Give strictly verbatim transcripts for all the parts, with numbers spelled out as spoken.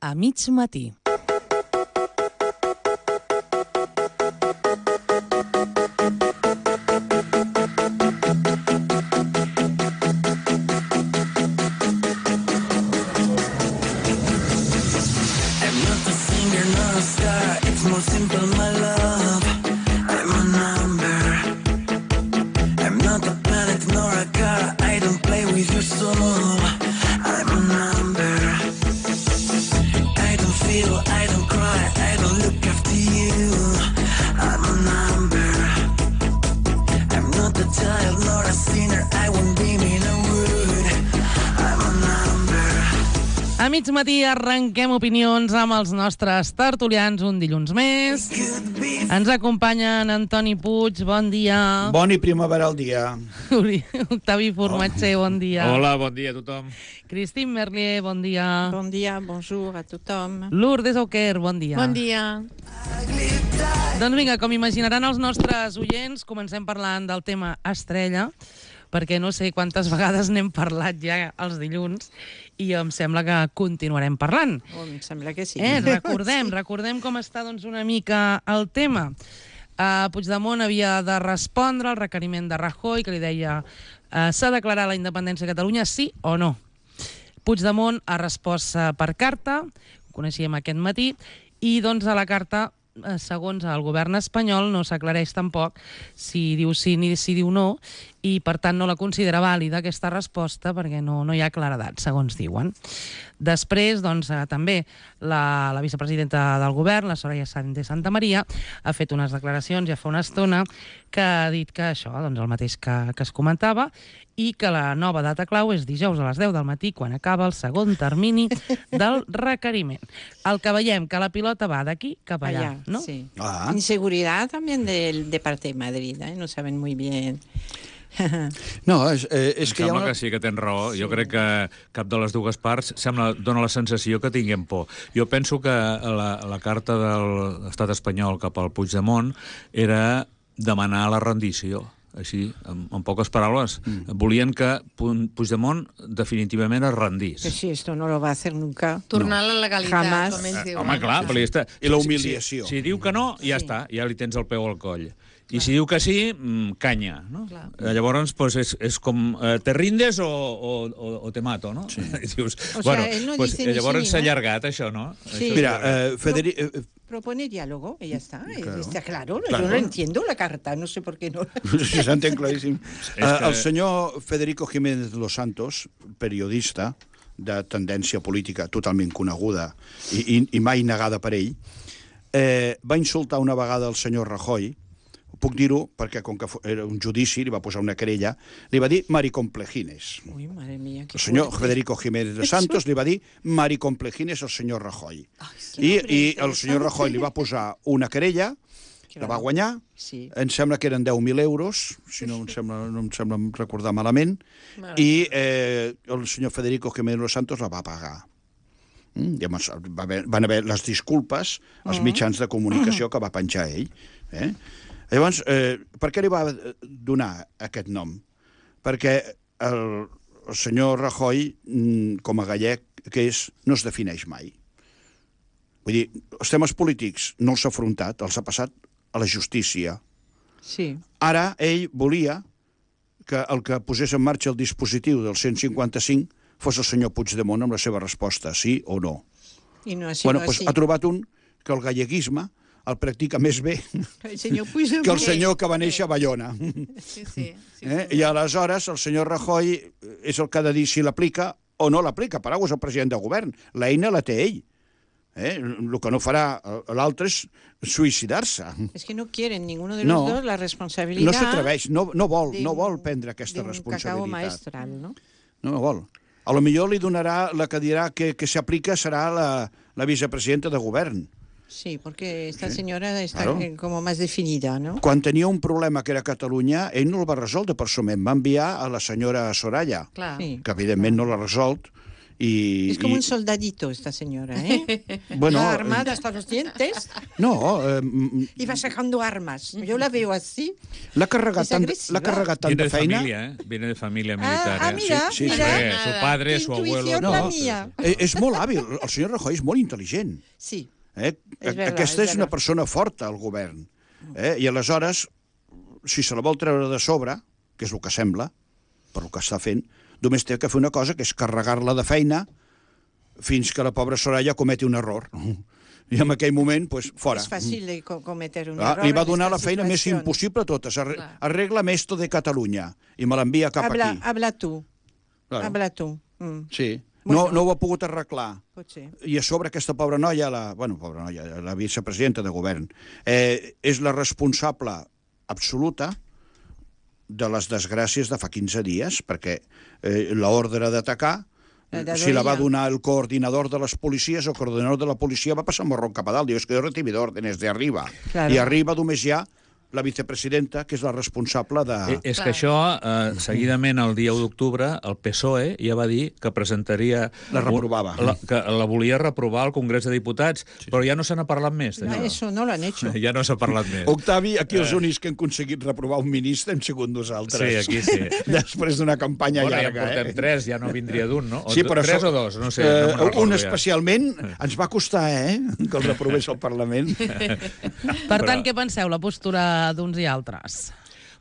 a mig matí. A mig matí arrenquem opinions amb els nostres tertulians un dilluns més. Ens acompanyen Antoni Puig, bon dia. Bon i primaveral dia. Octavi Formatger, bon dia. Hola, bon dia a tothom. Christine Merlier, bon dia. Bon dia, bonjour a tothom. Lourdes Auquer, bon dia. Bon dia. Doncs vinga, com imaginaran els nostres oients, comencem parlant del tema estrella, perquè no sé quantes vegades n'hem parlat ja els dilluns i em sembla que continuarem parlant. Oh, em sembla que sí. Eh, recordem, sí. recordem com està doncs, una mica el tema. Uh, Puigdemont havia de respondre al requeriment de Rajoy, que li deia uh, s'ha declarat la independència de Catalunya, sí o no? Puigdemont ha respost uh, per carta, ho coneixíem aquest matí, i doncs a la carta, uh, segons el govern espanyol, no s'aclareix tampoc si diu sí ni si diu no, i per tant no la considera vàlida aquesta resposta perquè no, no hi ha claredat, segons diuen. Després, doncs, eh, també la, la vicepresidenta del govern, la Soraya Sáenz de Santamaría, ha fet unes declaracions ja fa una estona que ha dit que això, doncs el mateix que, que es comentava, i que la nova data clau és dijous a les deu del matí, quan acaba el segon termini del requeriment. El que veiem, que la pilota va d'aquí cap allà, allá, ¿no? Sí. Ah. Inseguridad también del, de parte de Madrid, ¿eh? No saben muy bien. No, és, eh, és Em que hi ha sembla una... que sí, que tens raó. Jo crec que cap de les dues parts sembla, dona la sensació que tinguem por. Jo penso que la, la carta de l'estat espanyol cap al Puigdemont era demanar la rendició. Així, en, en poques paraules, mm. volien que Puigdemont definitivament es rendís. Que sí, esto no lo va a hacer nunca. Tornar a la legalitat, Jamás. com ells Eh, diuen. home, clar, però ja està. I la humiliació. Si, si, si diu que no, ja Sí. està, ja li tens el peu al coll. I si diu que sí, mm, canya, no? Clar. Eh, llavors, pues, és, és com, eh, te rindes o, o, o, o te mato, no? Sí. I dius, O bueno, sea, él no pues, dice ni llavors sí s'ha ni no. allargat, això, no? Sí. Això Mira, s'ha allargat. eh, Federic... Eh, Propone diálogo y ya está. Claro. Está claro. Claro. Yo no entiendo la carta, no sé por qué no. sí, s'entén claríssim. És Eh, que- el senyor Federico Jiménez de los Santos, periodista de tendència política totalment coneguda i, i, i mai negada per ell, eh, va insultar una vegada el senyor Rajoy. Puc dir-ho perquè, com que era un judici, li va posar una querella, li va dir maricomplejines. Uy, madre mía, qué El senyor fuerte. Federico Jiménez de Santos li va dir maricomplejines al senyor Rajoy. qué I, nombre I el interesante. senyor Rajoy li va posar una querella, la va guanyar, Sí. em sembla que eren deu mil euros, si no em sembla, no em sembla recordar malament, i eh, el senyor Federico Jiménez de los Santos la va pagar. Mm? I llavors va haver, van haver les disculpes als mitjans de comunicació que va penjar ell. Eh? Llavors, eh, per què li va donar aquest nom? Perquè el, el senyor Rajoy, mm, com a gallec que és, no es defineix mai. Vull dir, els temes polítics no els ha afrontat, els ha passat a la justícia. Sí. Ara ell volia que el que posés en marxa el dispositiu del cent cinquanta-cinc fos el senyor Puigdemont amb la seva resposta, sí o no. Y no ha sido Bueno, doncs así. ha trobat un que el galleguisme el practica més bé El señor Puigdemont. que el senyor que va néixer a Bayona. Sí, sí. sí, Eh? sí. I aleshores el senyor Rajoy és el que ha de dir si l'aplica o no l'aplica. Per alguna cosa és el president del govern. L'eina la té ell. Eh? El que no farà l'altre és suïcidar-se. Es que no quieren ninguno de No. los dos la responsabilidad. No s'atreveix, no, no vol, de no un- vol prendre aquesta de un cacao responsabilitat. maestral, ¿no? No, no vol. A lo millor li donarà, la que dirà que, que s'aplica serà la, la vicepresidenta de govern. Sí, porque esta señora está Claro. eh, como más definida, ¿no? Quan tenia un problema que era Catalunya, ell no el va resoldre personalment, va enviar a la senyora Soraya, Clar. Sí. que evidentment no l'ha resolt, I, Es como i, un soldadito esta señora, ¿eh? Bueno, Va armada hasta los dientes no, eh, y va sacando armas. Yo la veo así. l'ha carregat, És tant, agressiva. l'ha carregat tant Viene de de feina... familia, ¿eh? Viene de familia militar, Ah, ah, ¿eh? mira, Sí, sí, mira. Eh, su padre, Qué su abuelo... intuición No. la mía. Eh, és molt hàbil, el senyor Rajoy és molt intel·ligent. Sí. Eh? És verdad, Aquesta és és una verdad. persona forta al govern. Eh? I aleshores, si se la vol treure de sobre, que és el que sembla, per el que està fent, només té que fer una cosa, que és carregar-la de feina fins que la pobra Soraya cometi un error. I en aquell moment, pues, fora. És fàcil de co- cometer un Ah, error. li va en donar la estas feina més situacions. impossible a totes. Arre Clar. arregla'm esto de Catalunya. I me l'envia cap Habla, aquí. habla tú. Claro. Habla tú. Mm, Sí. Bueno. No, no ho ha pogut arreglar. pot ser. I a sobre aquesta pobra noia, la, bueno, pobra noia, la vicepresidenta de govern, eh, és la responsable absoluta de les desgràcies de fa quinze dies, perquè eh, l'ordre d'atacar, La de si la va Doria. donar el coordinador de les policies, el coordinador de la policia va passar morrón cap a dalt. Diu, és que jo he recibit ordres de arriba. Claro. I arriba només hi ha la vicepresidenta, que és la responsable de... Eh, És Clar. que això, eh, seguidament, el dia u d'octubre, el P S O E ja va dir que presentaria... La reprovava. La, que la volia reprovar al Congrés de Diputats, sí. Però ja no se n'ha parlat més, No, d'això. eso no lo han hecho. Ja no s'ha parlat més. Octavi, aquí els únics que han aconseguit reprovar un ministre hem sigut nosaltres. Sí, aquí sí. Després d'una campanya Bueno, ja llarga, portem eh? tres, ja no vindria d'un, no? O Sí, do- però tres això- o dos, no sé. Eh, no me'n recordo un ja. especialment ens va costar, eh?, que el reprovés al Parlament. Per tant, què penseu, la postura d'uns i altres?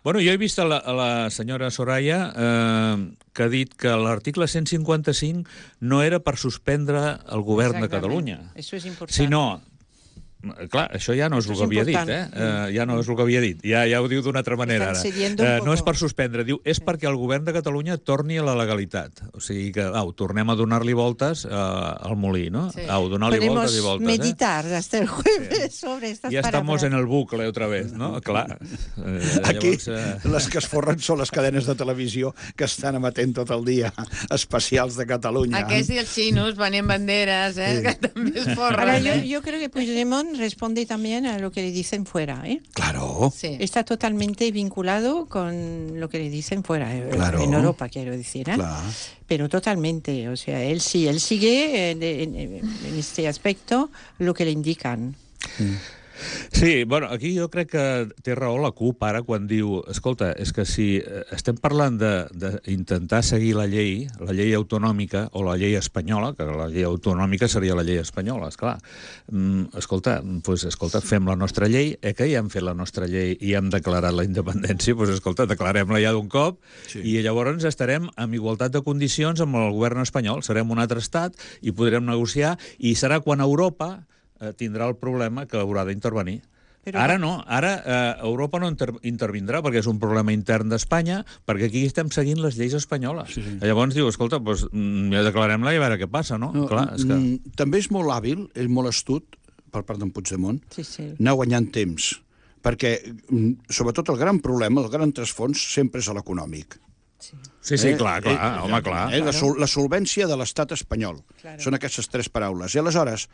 Bueno, jo he vist a la, a la senyora Soraya eh, que ha dit que l'article cent cinquanta-cinc no era per suspendre el govern de Exactament. Catalunya, Eso es importante. sinó... Clar, això ja no és Això el és que havia dit, important. eh? eh? Ja no és el que havia dit. Ja, ja ho diu d'una altra manera, Estan ara. cediendo un Eh, no és poco. per suspendre, diu, és perquè el govern de Catalunya torni a la legalitat. O sigui que, au, tornem a donar-li voltes eh, al molí, no? Sí. Au, donar-li Podemos voltes i voltes, meditar hasta el jueves sobre estas eh? Ja estamos palabras. en el bucle otra vez, no? Clar. Eh, Aquí llavors, eh, les que es forren són les cadenes de televisió que estan emetent tot el dia especials de Catalunya. Aquests i els xinos venent banderes, eh, que també es forren. Ahora, yo, eh? yo creo que Puigdemont responde también a lo que le dicen fuera, ¿eh? Claro. Sí. Está totalmente vinculado con lo que le dicen fuera, eh, Claro. en Europa, quiero decir, ¿eh? Clar. Pero totalmente, o sea, él sí, él sigue en, en- en este aspecto lo que le indican. Sí, bueno, aquí jo crec que té raó la CUP ara quan diu, escolta, és que si eh, estem parlant d'intentar seguir la llei, la llei autonòmica o la llei espanyola, que la llei autonòmica seria la llei espanyola, esclar. Mm, escolta, pues, escolta, fem la nostra llei, eh, que ja hem fet la nostra llei i hem declarat la independència, pues, escolta, declarem-la ja d'un cop Sí. i llavors estarem en igualtat de condicions amb el govern espanyol, serem un altre estat i podrem negociar i serà quan Europa eh, tindrà el problema que haurà d'intervenir. Però- Ara no, ara eh, Europa no inter intervindrà perquè és un problema intern d'Espanya, perquè aquí estem seguint les lleis espanyoles. Sí, sí. Llavors diu, escolta, doncs, mm, ja declarem-la i a veure què passa, no? No, Clar, és que... mm, També és molt hàbil, és molt astut, per part d'en Puigdemont, Sí, sí. anar guanyant temps, perquè, mm, sobretot, el gran problema, el gran trasfons, sempre és l'econòmic. Sí, sí, clar, clar, home, clar. Eh, la, sol la solvència de l'estat espanyol. Claro. Són aquestes tres paraules. I aleshores,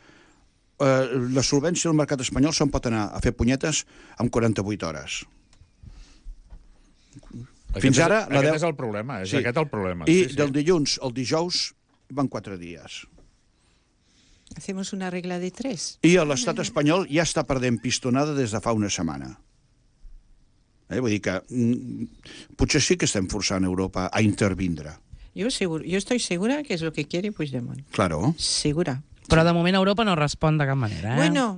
eh, la solvència del mercat espanyol se'n pot anar a fer punyetes en quaranta-vuit hores. Aquest Fins és- ara, la Aquest deu- és el problema, és aquest el problema. I sí, sí. del dilluns al dijous van quatre dies. Hacemos una regla de tres. I l'estat espanyol ja està perdent pistonada des de fa una setmana. Eh, vull dir que mm, potser sí que estem forçant Europa a intervindre. Yo, seguro, yo estoy segura que es lo que quiere Puigdemont. Claro. Segura. Però de moment Europa no respon de cap manera, eh? Bueno,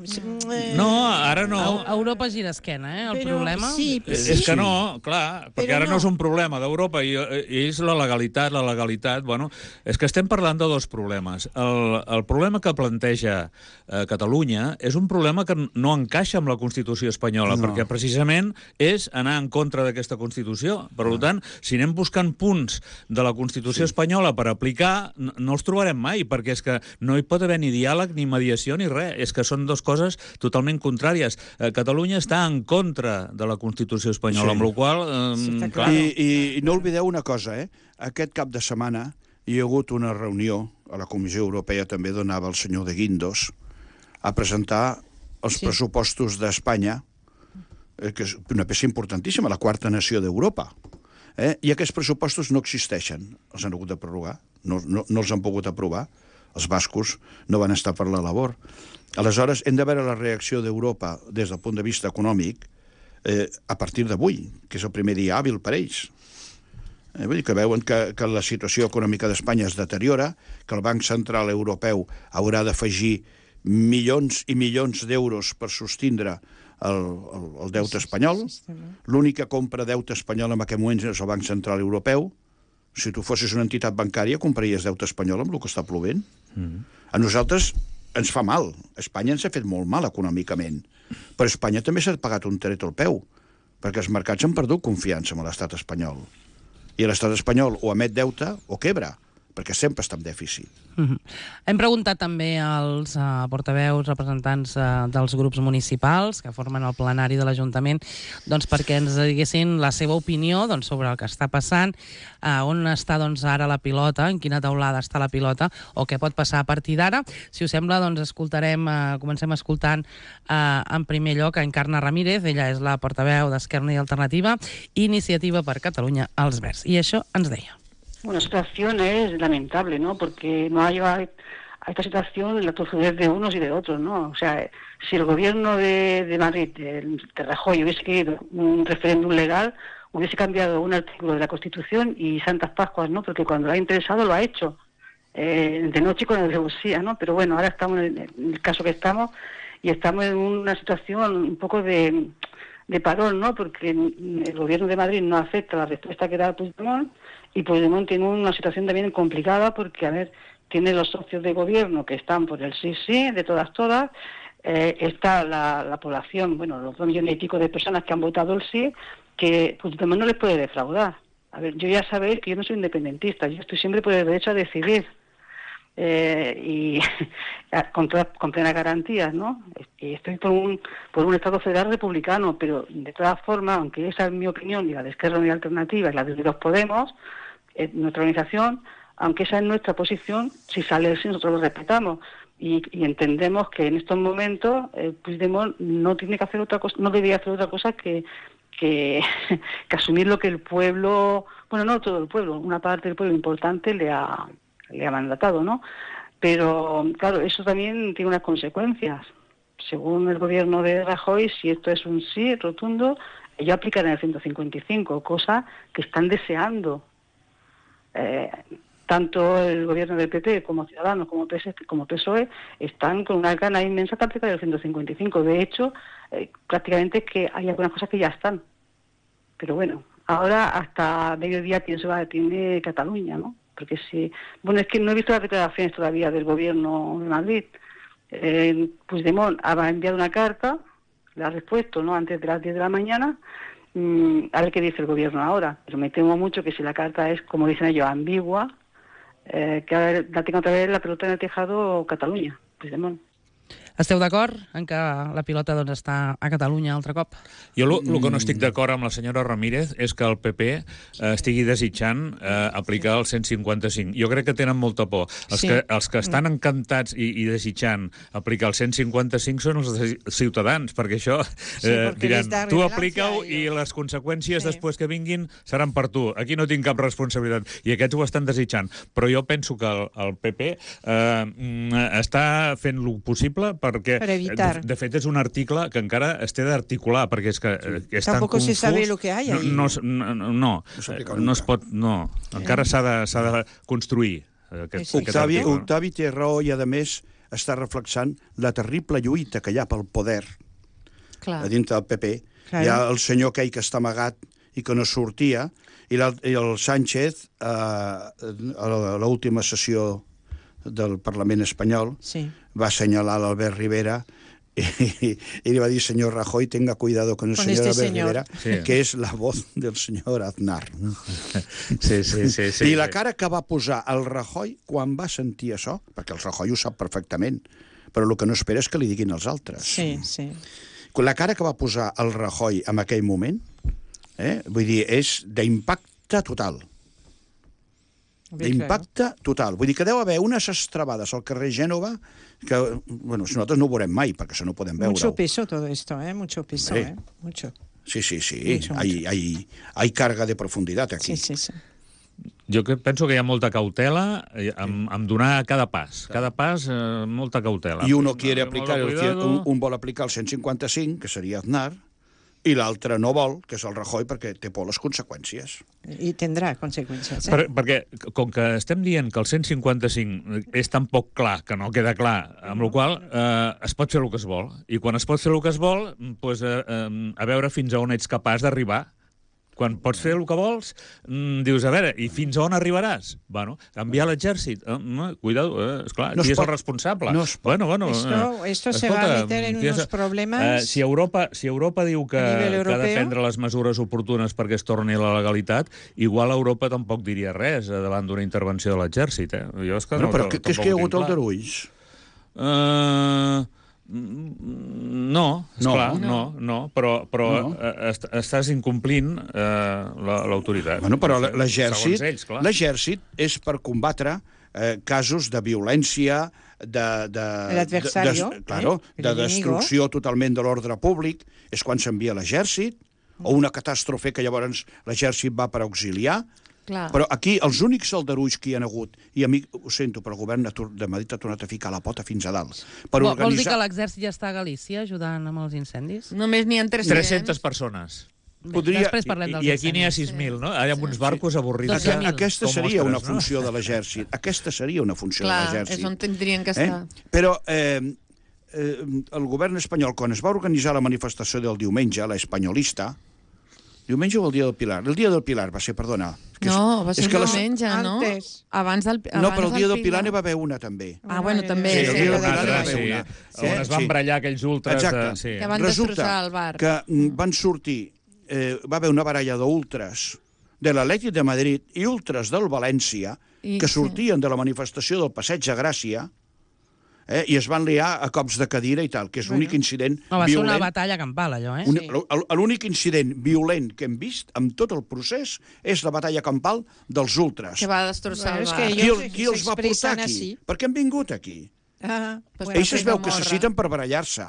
eh, No, ara no. Eu- Europa gira esquena, eh? El Però problema... sí, És, sí. és que no, clar, perquè Però ara no. no és un problema d'Europa i, i és la legalitat, la legalitat, bueno, és que estem parlant de dos problemes. El, el problema que planteja eh, Catalunya és un problema que no encaixa amb la Constitució espanyola, No. perquè precisament és anar en contra d'aquesta Constitució. Per Ah. tant, si anem buscant punts de la Constitució Sí. espanyola per aplicar, no, no els trobarem mai, perquè és que no hi pot haver ni diàleg, ni mediació, ni res. És que són dues coses totalment contràries. Eh, Catalunya està en contra de la Constitució espanyola, Sí. amb la qual cosa, Sí, eh, està clar, clar. I, i, I no oblideu una cosa, eh? Aquest cap de setmana hi ha hagut una reunió a la Comissió Europea, també donava el senyor de Guindos, a presentar els Sí. pressupostos d'Espanya, eh, que és una peça importantíssima, la quarta nació d'Europa. Eh? I aquests pressupostos no existeixen. Els han hagut de prorrogar. no, no, no els han pogut aprovar. Els bascos no van estar per la labor. Aleshores, hem de veure la reacció d'Europa des del punt de vista econòmic eh, a partir d'avui, que és el primer dia hàbil per ells. Eh, vull dir que veuen que, que la situació econòmica d'Espanya es deteriora, que el Banc Central Europeu haurà d'afegir milions i milions d'euros per sostindre el, el, el deute espanyol. L'única compra deute espanyol en aquest moment és el Banc Central Europeu. Si tu fossis una entitat bancària, compraries deute espanyol amb el que està plovent. Mm. A nosaltres ens fa mal. Espanya ens ha fet molt mal econòmicament. Però Espanya també s'ha pagat un tret al peu, perquè els mercats han perdut confiança en l'estat espanyol. I l'estat espanyol o emet deute o quebra, perquè sempre està en dèficit. Mm-hmm. Hem preguntat també als uh, portaveus, representants uh, dels grups municipals que formen el plenari de l'Ajuntament, doncs perquè ens diguessin la seva opinió doncs, sobre el que està passant, uh, on està doncs, ara la pilota, en quina taulada està la pilota, o què pot passar a partir d'ara. Si us sembla, doncs escoltarem, uh, comencem escoltant uh, en primer lloc a Encarna Ramírez, ella és la portaveu d'Esquerra Unida i Alternativa, Iniciativa per Catalunya, els Verds. I això ens deia. Bueno, la situación es lamentable, ¿no? Porque no ha llevado a esta situación la tozudez de unos y de otros, ¿no? O sea, si el gobierno de, de Madrid, de, de Rajoy, hubiese querido un referéndum legal, hubiese cambiado un artículo de la Constitución y Santas Pascuas, ¿no? Porque cuando lo ha interesado lo ha hecho, eh, de noche con alevosía, ¿no? Pero bueno, ahora estamos en el, en el caso que estamos y estamos en una situación un poco de, de parón, ¿no? Porque el gobierno de Madrid no acepta la respuesta que da Puigdemont. Y Puigdemont tiene una situación también complicada porque, a ver, tiene los socios de gobierno que están por el sí, sí, de todas, todas. Eh, está la, la población, bueno, los dos millones y pico de personas que han votado el sí, que Puigdemont no les puede defraudar. A ver, yo ya sabéis que yo no soy independentista, yo estoy siempre por el derecho a decidir. Eh, y con, todas, con plenas garantías, ¿no? Y estoy por un, por un Estado federal republicano, pero de todas formas, aunque esa es mi opinión y la de Esquerra Unida y Alternativa y la de Unidos Podemos, eh, nuestra organización, aunque esa es nuestra posición, si sale el sí nosotros lo respetamos y, y entendemos que en estos momentos eh, Puigdemont no tiene que hacer otra cosa, no debería hacer otra cosa que que, que asumir lo que el pueblo, bueno, no todo el pueblo, una parte del pueblo importante le ha le ha mandatado, ¿no? Pero, claro, eso también tiene unas consecuencias. Según el gobierno de Rajoy, si esto es un sí rotundo, ellos aplicarán el ciento cincuenta y cinco, cosa que están deseando. Eh, tanto el gobierno del P P como Ciudadanos, como, P S, como P S O E, están con una gana inmensa de aplicar el ciento cincuenta y cinco. De hecho, eh, prácticamente es que hay algunas cosas que ya están. Pero bueno, ahora hasta mediodía pienso va tiene Cataluña, ¿no? Porque si, bueno, es que no he visto las declaraciones todavía del gobierno de Madrid. Eh, Puigdemont ha enviado una carta, le ha respuesto, ¿no? Antes de las diez de la mañana, mmm, a ver qué dice el gobierno ahora. Pero me temo mucho que si la carta es, como dicen ellos, ambigua, eh, que la tenga otra vez la pelota en el tejado Cataluña, Puigdemont. Esteu d'acord en que la pilota doncs, està a Catalunya altre cop? Jo el que no estic d'acord amb la senyora Ramírez és que el P P eh, estigui desitjant eh, aplicar el cent cinquanta cinc. Jo crec que tenen molta por. Els, sí. que, els que estan encantats i, i desitjant aplicar el cent cinquanta cinc són els ciutadans, perquè això eh, sí, diran, tu aplica-ho i les conseqüències sí. després que vinguin seran per tu. Aquí no tinc cap responsabilitat. I aquests ho estan desitjant. Però jo penso que el, el P P eh, està fent el possible perquè, per evitar. De, de fet, és un article que encara es té d'articular, perquè és que sí. és tan Tampoco confús. se sabe lo que hay ahí. No, no, no, no, no, no es pot... No, encara s'ha de, s'ha de construir. Aquest, sí. Octavi, Octavi té raó i, a més, està reflexant la terrible lluita que hi ha pel poder Clar. a dintre del P P. Clar. Hi ha el senyor aquell que està amagat i que no sortia, i, i el Sánchez, eh, a l'última sessió del Parlament espanyol, sí. va assenyalar l'Albert Rivera i, i, i li va dir, senyor Rajoy, tenga cuidado con el con señor este Albert señor. Rivera, sí. que és la voz del senyor Aznar. Sí, sí, sí, sí, I la cara que va posar el Rajoy quan va sentir això, perquè el Rajoy ho sap perfectament, però el que no espera és que li diguin els altres. Sí, sí. La cara que va posar el Rajoy en aquell moment, eh, vull dir, és d'impacte total. D'impacte total. Vull dir que deu haver unes estrabades al carrer Gènova que, bueno, nosaltres no ho veurem mai, perquè això no ho podem veure. Mucho peso todo esto, ¿eh? Mucho peso, ¿eh? Mucho. Sí, sí, sí. Mucho, hay, mucho. Hay, hay carga de profundidad aquí. Sí, sí, sí. Jo que penso que hi ha molta cautela amb, amb donar cada pas. Cada pas, eh, molta cautela. I uno quiere aplicar, el, Cuidado. un, un vol aplicar el cent cinquanta-cinc, que seria Aznar, i l'altre no vol, que és el Rajoy, perquè té por les conseqüències. I tindrà conseqüències. Eh? Per, perquè, com que estem dient que el cent cinquanta-cinc és tan poc clar que no queda clar, amb la qual eh, es pot fer el que es vol. I quan es pot fer el que es vol, doncs, eh, eh, a veure fins a on ets capaç d'arribar. Quan pots fer el que vols, mm, dius, a veure, i fins a on arribaràs? Bueno, enviar l'exèrcit. Eh, cuidado, eh, esclar, no qui és pot, el responsable? No bueno, bueno, esto, esto eh, se escolta, va a meter en unos és, problemes... Eh, si, Europa, si Europa diu que, que ha de prendre les mesures oportunes perquè es torni a la legalitat, igual Europa tampoc diria res eh, davant d'una intervenció de l'exèrcit. Eh? Jo és que bueno, no, però què és que hi ha hagut aldarulls? Eh... Uh... No, esclar, no, no, no, però, però no. Est estàs incomplint eh, l'autoritat. Bueno, però l'exèrcit l'exèrcit és per combatre eh, casos de violència, de, de, de, de, claro, eh? de destrucció totalment de l'ordre públic. És quan s'envia l'exèrcit, o una catàstrofe que llavors l'exèrcit va per auxiliar. Clar. Però aquí els únics aldarulls que hi ha hagut, i a mi ho sento, però el govern de Madrid ha tornat a ficar la pota fins a dalt. Per Vol, organitzar... Vols dir que l'exèrcit ja està a Galícia ajudant amb els incendis? Només n'hi ha tres-cents. tres-centes persones. Bé, Podria... Després parlem dels I, I aquí n'hi ha sis mil, no? Hi ha uns barcos avorrits. dotze mil. Aquesta seria una funció de l'exèrcit. Aquesta seria una funció Clar, de l'exèrcit. és on tindrien que estar. Eh? Però eh, eh, el govern espanyol, quan es va organitzar la manifestació del diumenge, la espanyolista, diumenge o el dia del Pilar? El dia del Pilar va ser, perdona. Que no, va ser el diumenge, no? Antes. Abans del abans No, però el dia del Pilar n'hi va haver una, també. Ah, bueno, també. Sí, Sí, el dia del Una Pilar altra, n'hi va sí. haver una. On es van Sí. barallar aquells ultres. Exacte. De... Sí. Que van destrossar el bar. que van sortir, eh, va haver una baralla d'ultres de l'Atlètic de Madrid i ultres del València, I, que sortien sí. de la manifestació del Passeig de Gràcia, eh, i es van liar a cops de cadira i tal, que és l'únic incident no, va ser violent. una batalla campal, allò, eh? Un, L'únic incident violent que hem vist amb tot el procés és la batalla campal dels ultres. Que va destrossar Bueno, el és bar. que Qui, ells el, qui els va portar s'expressen aquí? així. Per què han vingut aquí? Ah, Pues bueno, Ells es veu fer que morra. se citen per barallar-se,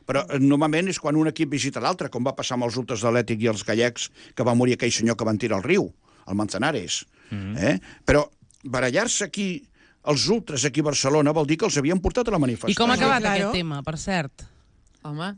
però eh, normalment és quan un equip visita l'altre, com va passar amb els ultres de l'Atlètic i els gallecs, que va morir aquell senyor que van tirar al riu, al Manzanares. Mm-hmm. eh? Però barallar-se aquí, els ultres aquí a Barcelona, vol dir que els havien portat a la manifestació. I com ha acabat Claro. aquest tema, per cert? Home.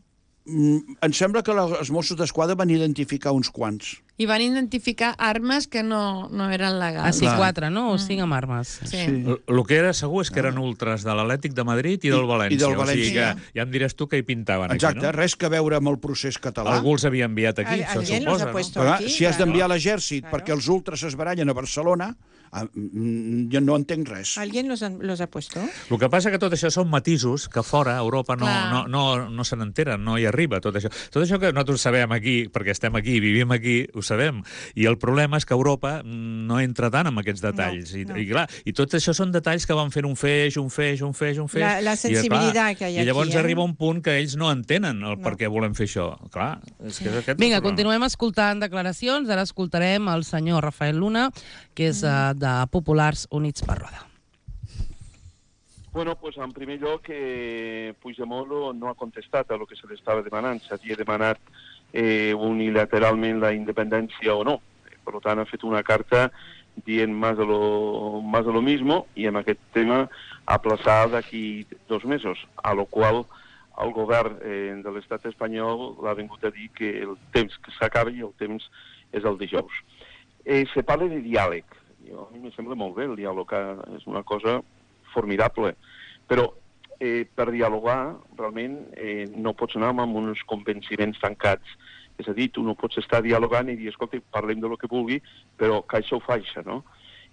Mm, em sembla que la, els Mossos d'Esquadra van identificar uns quants. I van identificar armes que no, no eren Ah, legals. sí, quatre, no? O cinc amb armes. Sí. El, el que era segur és que eren ultres de l'Atlètic de Madrid i del I- València. i del O sigui València. que ja em diràs tu que hi pintaven Exacte, aquí, no? res que veure amb el procés català. Algú els havia enviat aquí, se Alguien los suposa, ha puesto Però, aquí, si has claro. d'enviar l'exèrcit Claro. perquè els ultres es barallen a Barcelona, ah, mm, jo no entenc res. ¿Alguien los, han- los ha puesto? El que passa que tot això són matisos que fora, a Europa, no, Clar. no, no, no se n'enteren, no hi arriba tot això. Tot això que nosaltres sabem aquí, perquè estem aquí, vivim aquí, ho sabem. I el problema és que Europa no entra tant en aquests detalls. No, I, no. I, clar, i tot això són detalls que van fent un feix, un feix, un feix, un feix. La- la i, sensibilitat que hi ha I llavors aquí, eh? arriba un punt que ells no entenen el No. per què volem fer això. Clar, és que és aquest Vinga, el problema. continuem escoltant declaracions. Ara escoltarem el senyor Rafael Luna, que és uh, de Populars Units per Roda. Bueno, pues en primer lloc, eh, Puigdemont no ha contestat a lo que se li estava demanant. S'havia demanat eh, unilateralment la independència o no. Per tant, ha fet una carta dient más de lo, más de lo mismo i en aquest tema aplaçar d'aquí dos mesos, a lo qual el govern eh, de l'estat espanyol l'ha vingut a dir que el temps que s'acaba i el temps és el dijous. Eh, se parla de diàleg. Jo, a mi em sembla molt bé el diàleg, és una cosa formidable, però eh, per dialogar realment eh, no pots anar amb uns convenciments tancats. És a dir, tu no pots estar dialogant i dir, escolta, parlem de lo que vulgui, però caixa o faixa, no?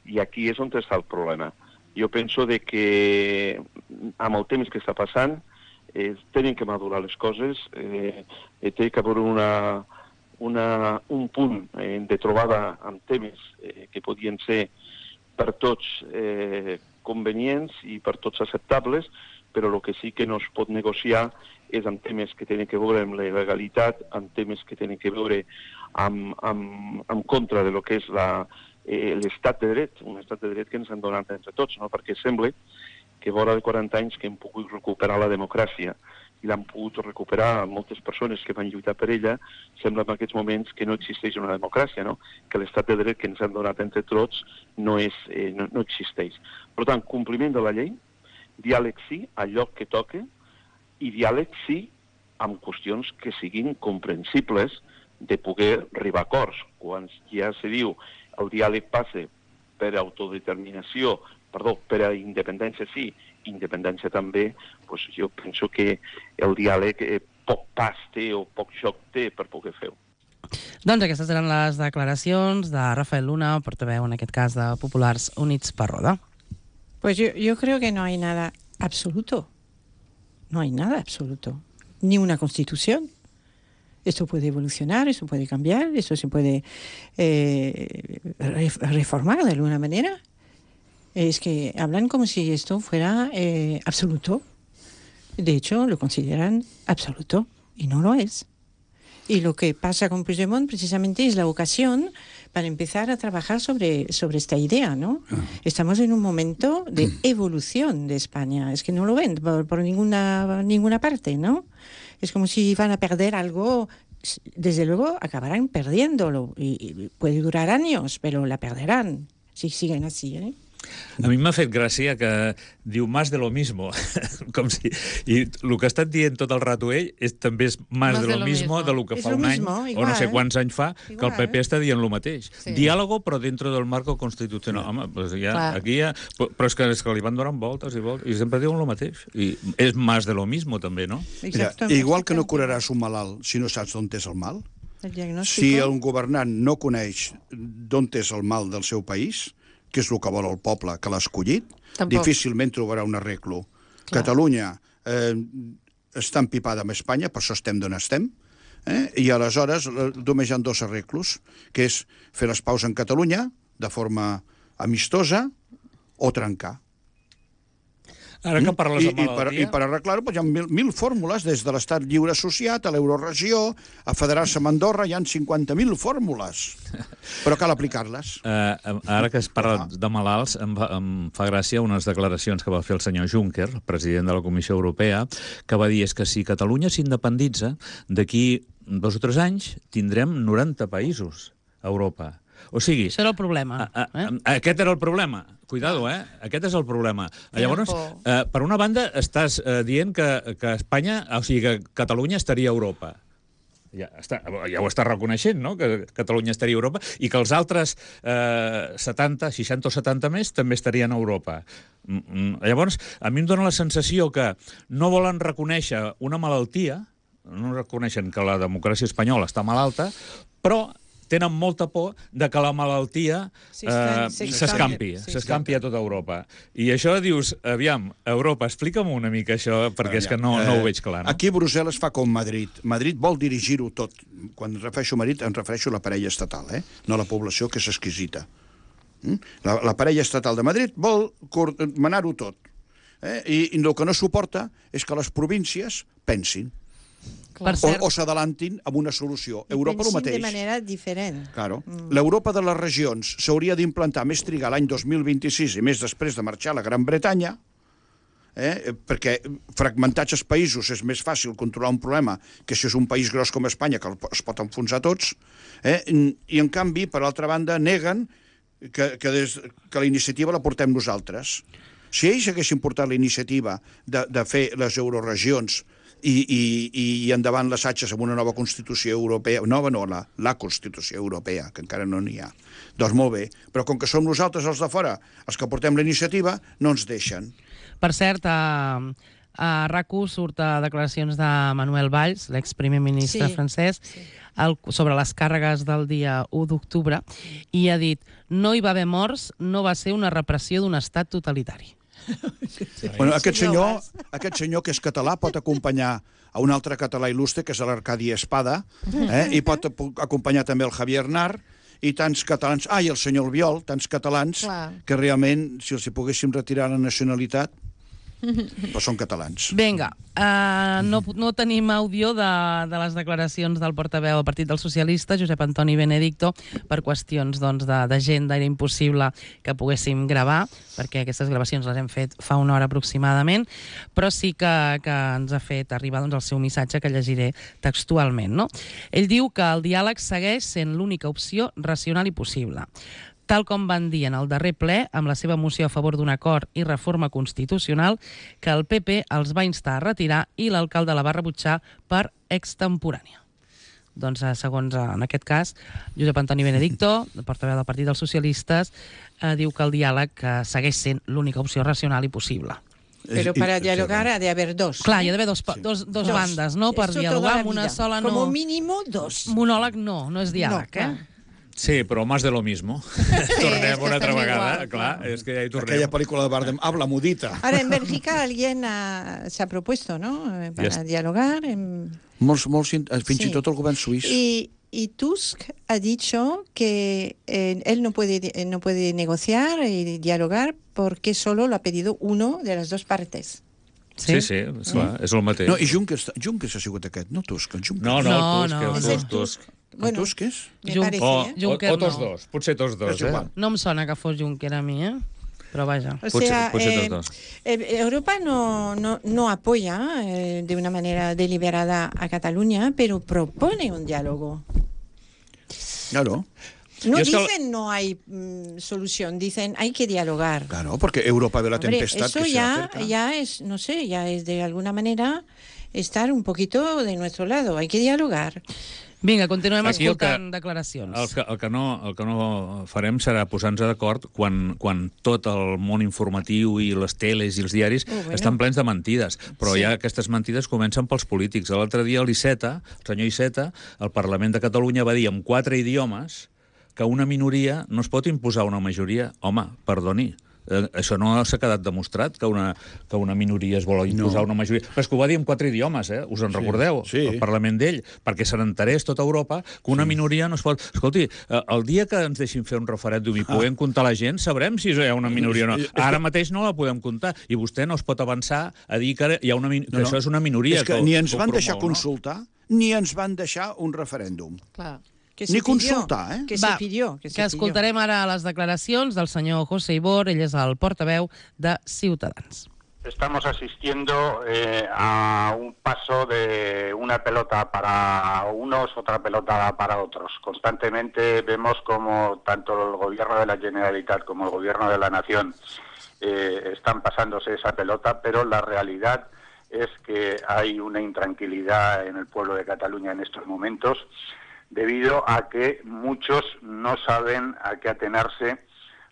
I aquí és on està el problema. Jo penso de que amb el temps que està passant eh, tenen que madurar les coses, eh, eh, té que haver una, una, un punt eh, de trobada amb temes eh, que podien ser per tots eh, convenients i per tots acceptables, però el que sí que no es pot negociar és amb temes que tenen que veure amb la legalitat, amb temes que tenen que veure amb, amb, amb contra de lo que és la, eh, l'estat de dret, un estat de dret que ens han donat entre tots, no? Perquè sembla que vora de quaranta anys que hem pogut recuperar la democràcia i l'han pogut recuperar moltes persones que van lluitar per ella, sembla en aquests moments que no existeix una democràcia, no? Que l'estat de dret que ens han donat entre tots no, és, eh, no, no existeix. Per tant, compliment de la llei, diàleg sí, al lloc que toque, i diàleg sí amb qüestions que siguin comprensibles de poder arribar a acords. Quan ja se diu el diàleg passa per autodeterminació, perdó, per a independència sí, independència també, doncs jo penso que el diàleg eh, poc pas té o poc joc té per poder fer-ho. Doncs aquestes eren les declaracions de Rafael Luna, portaveu en aquest cas de Populars Units per Roda. Pues yo, yo creo que no hay nada absoluto. No hay nada absoluto. Ni una constitución. Esto puede evolucionar, esto puede cambiar, esto se puede eh, reformar de alguna manera. Es que hablan como si esto fuera eh, absoluto. De hecho, lo consideran absoluto y no lo es. Y lo que pasa con Puigdemont precisamente es la ocasión para empezar a trabajar sobre, sobre esta idea, ¿no? Estamos en un momento de evolución de España. Es que no lo ven por, por ninguna, ninguna parte, ¿no? Es como si van a perder algo. Desde luego acabarán perdiéndolo. Y, y puede durar años, pero la perderán si siguen así, ¿eh? A mi m'ha fet gràcia que diu más de lo mismo, com si... I el que ha estat dient tot el rato ell és, també és más, más de, lo de lo mismo, de lo que es fa lo un mismo, any, igual, o no sé quants anys fa, igual, que el P P està dient el mateix. Sí. Diàlogo, però dentro del marco constitucional. Home, pues ja, Clar. aquí ja... Però és que, és que li van donant voltes i voltes, i sempre diuen el mateix. I és más de lo mismo, també, no? Mira, igual que no curaràs un malalt si no saps d'on és el mal, El diagnóstico. si el governant no coneix d'on és el mal del seu país, que és el que vol el poble que l'ha escollit, Tampoc. difícilment trobarà un arreglo. Clar. Catalunya eh, està empipada amb Espanya, per això estem d'on estem, eh? I aleshores eh, només hi ha dos arreglos, que és fer les paus en Catalunya de forma amistosa o trencar. Ara que parles I, de i, per, malaltia... I per arreglar-ho pues, hi ha mil, mil fórmules, des de l'estat lliure associat a l'euroregió, a federar-se amb Andorra, hi ha cinquanta mil fórmules, però cal aplicar-les. Uh, ara que es parla de malalts, em fa, em fa gràcia unes declaracions que va fer el senyor Juncker, el president de la Comissió Europea, que va dir és que si Catalunya s'independitza, d'aquí dos o tres anys tindrem noranta països a Europa. O sigui... Això era el problema. A, a, a, aquest era el problema. Cuidado, eh? Aquest és el problema. Llavors, eh, per una banda, estàs eh, dient que, que Espanya, o sigui, que Catalunya estaria a Europa. Ja, està, ja ho està reconeixent, no?, que Catalunya estaria a Europa i que els altres eh, setanta, seixanta o setanta més també estarien a Europa. Llavors, a mi em dóna la sensació que no volen reconèixer una malaltia, no reconeixen que la democràcia espanyola està malalta, però tenen molta por de que la malaltia eh, s'escampi, s'escampi a tota Europa. I això dius, aviam, Europa, explica'm una mica això, perquè és que no, no ho veig clar, no? Aquí Brussel·les fa com Madrid. Madrid vol dirigir-ho tot. Quan refereixo a Madrid, em refereixo a la parella estatal, eh? No a la població, que és exquisita. La, la parella estatal de Madrid vol manar-ho tot. Eh? I, I el que no suporta és que les províncies pensin. Per O, cert, o s'adalantin amb una solució. Europa el mateix. de manera diferent. Claro. Mm. L'Europa de les regions s'hauria d'implantar més trigar l'any dos mil vint-i-sis i més després de marxar a la Gran Bretanya, eh? perquè fragmentats els països és més fàcil controlar un problema que si és un país gros com Espanya, que es pot enfonsar tots, eh? I en canvi, per altra banda, neguen que, que, des, que la iniciativa la portem nosaltres. Si ells haguessin portat la iniciativa de, de fer les euroregions I, i, i endavant les atxes amb una nova Constitució Europea, nova no, la, la Constitució Europea, que encara no n'hi ha. Doncs molt bé, però com que som nosaltres els de fora, els que portem la iniciativa, no ens deixen. per cert, a, a RAC u surt a declaracions de Manuel Valls, l'exprimer ministre Sí, francès, sí. el, sobre les càrregues del dia u d'octubre, i ha dit, no hi va haver morts, no va ser una repressió d'un estat totalitari. Bueno, aquest senyor, aquest senyor que és català pot acompanyar a un altre català il·lustre, que és l'Arcadi Espada, eh? I pot acompanyar també el Javier Nar, i tants catalans, ah, i el senyor Albiol, tants catalans, Clar. que realment, si els hi poguéssim retirar la nacionalitat, però són catalans. Vinga, uh, no, no tenim àudio de, de les declaracions del portaveu del Partit dels Socialistes, Josep Antoni Benedicto, per qüestions doncs, d'agenda. Era impossible que poguéssim gravar, perquè aquestes gravacions les hem fet fa una hora aproximadament, però sí que, que ens ha fet arribar doncs, el seu missatge, que llegiré textualment. No? Ell diu que el diàleg segueix sent l'única opció racional i possible. Tal com van dir en el darrer ple, amb la seva moció a favor d'un acord i reforma constitucional, que el P P els va instar a retirar i l'alcalde la va rebutjar per extemporània. Doncs, segons, en aquest cas, Josep Antoni Benedicto, portaveu del Partit dels Socialistes, eh, diu que el diàleg eh, segueix sent l'única opció racional i possible. Pero para dialogar ha de haber dos. Clar, hi ha d'haver dos, dos, dos bandes, no?, per Eso dialogar toda la amb una vida. sola no. Como mínimo dos. Monòleg no, no és diàleg, No, clar. eh? Sí, però más de lo mismo. Tornem una altra vegada, clar, és que ja hi tornem. Aquella pel·lícula de Bardem, Habla mudita. Ahora en Bélgica alguien ha- se ha propuesto, ¿no? Eh, Para Ya está. dialogar. en- Molts, molts, fins Sí. i tot el govern suís. Y, y Tusk ha dicho que eh, él no puede, eh, no puede negociar y dialogar porque solo lo ha pedido uno de las dos partes. Sí, sí, esclar, és el mateix. No, i Junckers, Junckers ha sigut aquest, no Tusk, el Junckers. No, no, No, Tusk, no. el Es el Tusk, Tusk. El Tusk és? me Jun- parece, O, ¿eh? o, Juncker o tots no. dos, potser tots dos, És eh? igual. No em sona que fos Juncker a mi, eh? Però vaja. O Puede sea, ser- puede ser eh, los dos. eh, Europa no, no, no apoya eh, de una manera deliberada a Cataluña, pero propone un diálogo. Claro, No Y es que- dicen no hay mm, solución, dicen hay que dialogar. claro, porque Europa ve la Hombre, tempestad eso que se ya, acerca. ya es, no sé, ya es de alguna manera estar un poquito de nuestro lado. Hay que dialogar. Vinga, continuem Aquí el que- escoltant declaracions. El que, el, que no, el que no farem serà posar-nos d'acord quan, quan tot el món informatiu i les teles i els diaris Oh, bueno. estan plens de mentides. Però Sí. ja aquestes mentides comencen pels polítics. L'altre dia l'Iceta, el senyor Iceta, al Parlament de Catalunya va dir en quatre idiomes que una minoria no es pot imposar a una majoria. Home, perdoni, eh, això no s'ha quedat demostrat, que una, que una minoria es vol imposar No. a una majoria. Però és que ho va dir en quatre idiomes, eh? Us en Sí, recordeu? sí. El Parlament d'ell, perquè se n'enterés tota Europa que una minoria no es pot... Escolti, eh, el dia que ens deixin fer un referèndum i puguem comptar la gent, sabrem si hi ha una minoria o no. És que- Ara mateix no la podem comptar, i vostè no es pot avançar a dir que, hi ha una, min- que això és una minoria. És que ho- ni ens ho van promou, deixar no? consultar, ni ens van deixar un referèndum. Clar. Que Ni se pidió, consultar, eh? Que Va, se pidió. Que, se que escoltarem ara les declaracions del senyor José Ibor, ell és el portaveu de Ciutadans. Estamos asistiendo eh, a un paso de una pelota para unos, otra pelota para otros. Constantemente vemos como tanto el gobierno de la Generalitat como el gobierno de la Nación eh, están pasándose esa pelota, pero la realidad es que hay una intranquilidad en el pueblo de Cataluña en estos momentos, debido a que muchos no saben a qué atenerse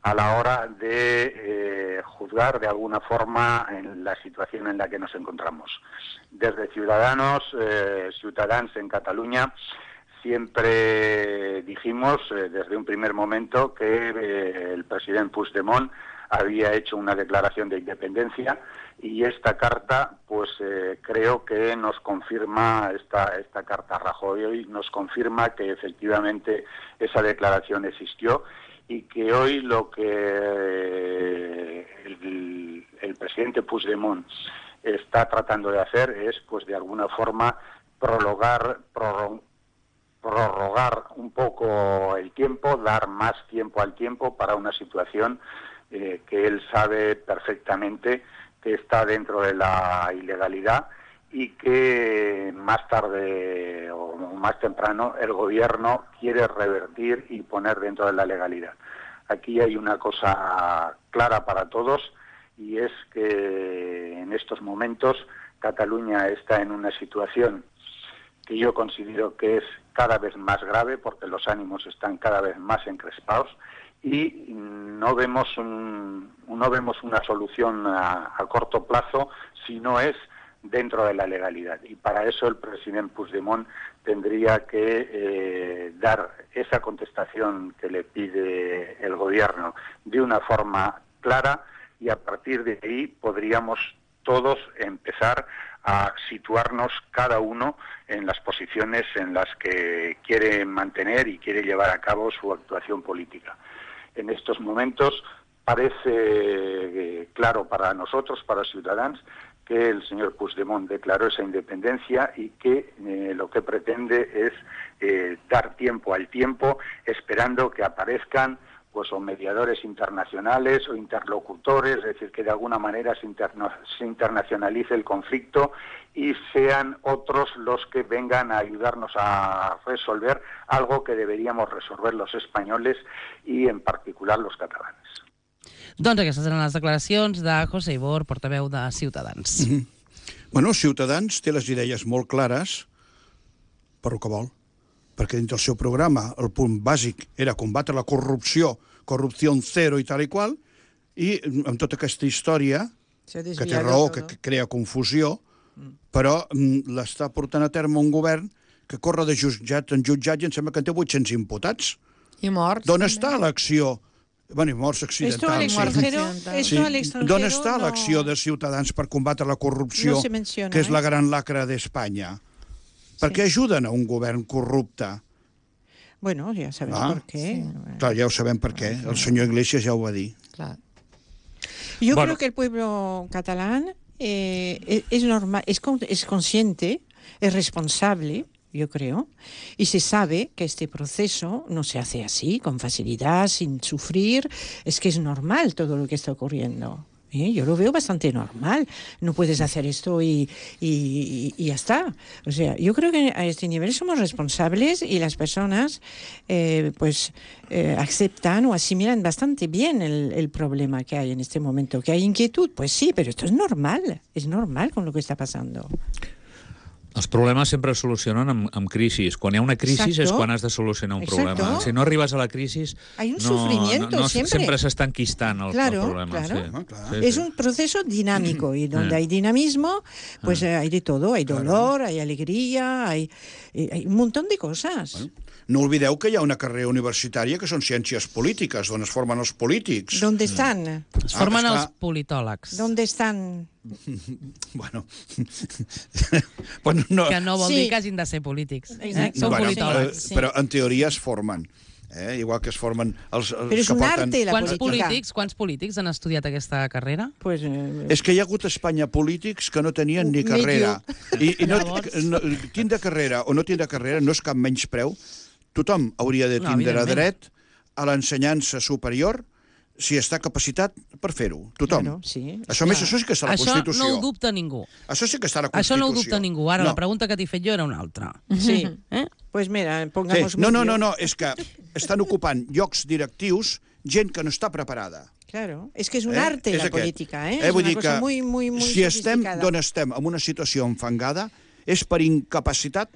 a la hora de eh, juzgar de alguna forma en la situación en la que nos encontramos. Desde Ciudadanos, eh, Ciutadans en Cataluña, siempre dijimos eh, desde un primer momento que eh, el presidente Puigdemont había hecho una declaración de independencia, y esta carta, pues eh, creo que nos confirma, esta, esta carta Rajoy hoy nos confirma que efectivamente esa declaración existió, y que hoy lo que eh, el, el presidente Puigdemont está tratando de hacer es, pues de alguna forma, prologar, prorrogar, prorrogar un poco el tiempo, dar más tiempo al tiempo para una situación eh, que él sabe perfectamente que está dentro de la ilegalidad, y que más tarde o más temprano el gobierno quiere revertir y poner dentro de la legalidad. Aquí hay una cosa clara para todos, y es que en estos momentos Cataluña está en una situación que yo considero que es cada vez más grave, porque los ánimos están cada vez más encrespados, y no vemos un, no vemos una solución a, a corto plazo si no es dentro de la legalidad. Y para eso el presidente Puigdemont tendría que eh, dar esa contestación que le pide el gobierno de una forma clara, y a partir de ahí podríamos todos empezar a situarnos cada uno en las posiciones en las que quiere mantener y quiere llevar a cabo su actuación política. En estos momentos parece claro para nosotros, para Ciudadanos, que el señor Puigdemont declaró esa independencia y que eh, lo que pretende es eh, dar tiempo al tiempo, esperando que aparezcan pues o mediadores internacionales o interlocutores, es decir, que de alguna manera se, interna se internacionalice el conflicto y sean otros los que vengan a ayudarnos a resolver algo que deberíamos resolver los españoles y en particular los catalanes. Doncs aquestes eren les declaracions de José Ibor, portaveu de Ciutadans. Mm-hmm. Bueno, Ciutadans té les idees molt clares per el que vol, perquè dins del seu programa el punt bàsic era combatre la corrupció, corrupció zero i tal i qual, i amb tota aquesta història, que té raó, que crea confusió, però l'està portant a terme un govern que corre de jutjat en jutjat i em sembla que en té vuit-cents imputats. I morts. D'on està l'acció? Bueno, i morts accidentals. Sí. D'on està l'acció de Ciutadans per combatre la corrupció, que és la gran lacra d'Espanya? Per què ajuden a un govern corrupte? Bueno, ya sabemos ah, por qué. Sí. Clar, ja ho sabem per què. El senyor Iglesias ja ho va dir. Claro. Yo bueno. creo que el pueblo catalán eh, es normal, es, es consciente, es responsable, yo creo, y se sabe que este proceso no se hace así, con facilidad, sin sufrir. Es que es normal todo lo que está ocurriendo. ¿Eh? Yo lo veo bastante normal. No puedes hacer esto y, y, y ya está. O sea, yo creo que a este nivel somos responsables y las personas eh, pues eh, aceptan o asimilan bastante bien el, el problema que hay en este momento. ¿Que hay inquietud? Pues sí, pero esto es normal. Es normal con lo que está pasando. Els problemes sempre es solucionen amb, amb crisis. Quan hi ha una crisi és quan has de solucionar un Exacto. problema. Si no arribes a la crisi, hay un no, sufrimiento no, no, siempre. Sempre s'està enquistant el, claro, el problema. Claro. Sí. Ah, claro. Sí, es sí. un proceso dinámico y donde hay dinamismo, pues ah. hay de todo. Hay dolor, claro. hay alegría, hay, hay un montón de cosas. Bueno. No olvideu que hi ha una carrera universitària que són ciències polítiques, on es formen els polítics. ¿Dónde están? Es formen ah, els politòlegs. ¿Dónde están? Bueno, bueno no. Que no vol sí. dir que hagin de ser polítics. Exacte. Són bueno, politòlegs. Sí. Però en teoria es formen. Eh? Igual que es formen els, els Però és que un porten... arte, la quants política. polítics, quants polítics han estudiat aquesta carrera? Pues, eh... És que hi ha hagut a Espanya polítics que no tenien ni carrera. I, i no, no, tindre carrera o no tindre carrera no és cap menyspreu. Tothom hauria de tindre no, dret a l'ensenyança superior si està capacitat per fer-ho. Tothom. Claro, sí. Això, més, això sí que està a la això Constitució. Això no ho dubta ningú. Això sí que està a la Constitució. Això no ho dubta ningú. Ara, no. la pregunta que t'he fet jo era una altra. Sí. Eh? Pues mira, pongamos... Sí. No, no, no, no, és que estan ocupant llocs directius gent que no està preparada. Claro, és que és un eh? arte és la aquest. política, eh? eh? És una una cosa muy, muy, muy si estem sofisticada. d'on estem, en una situació enfangada, és per incapacitat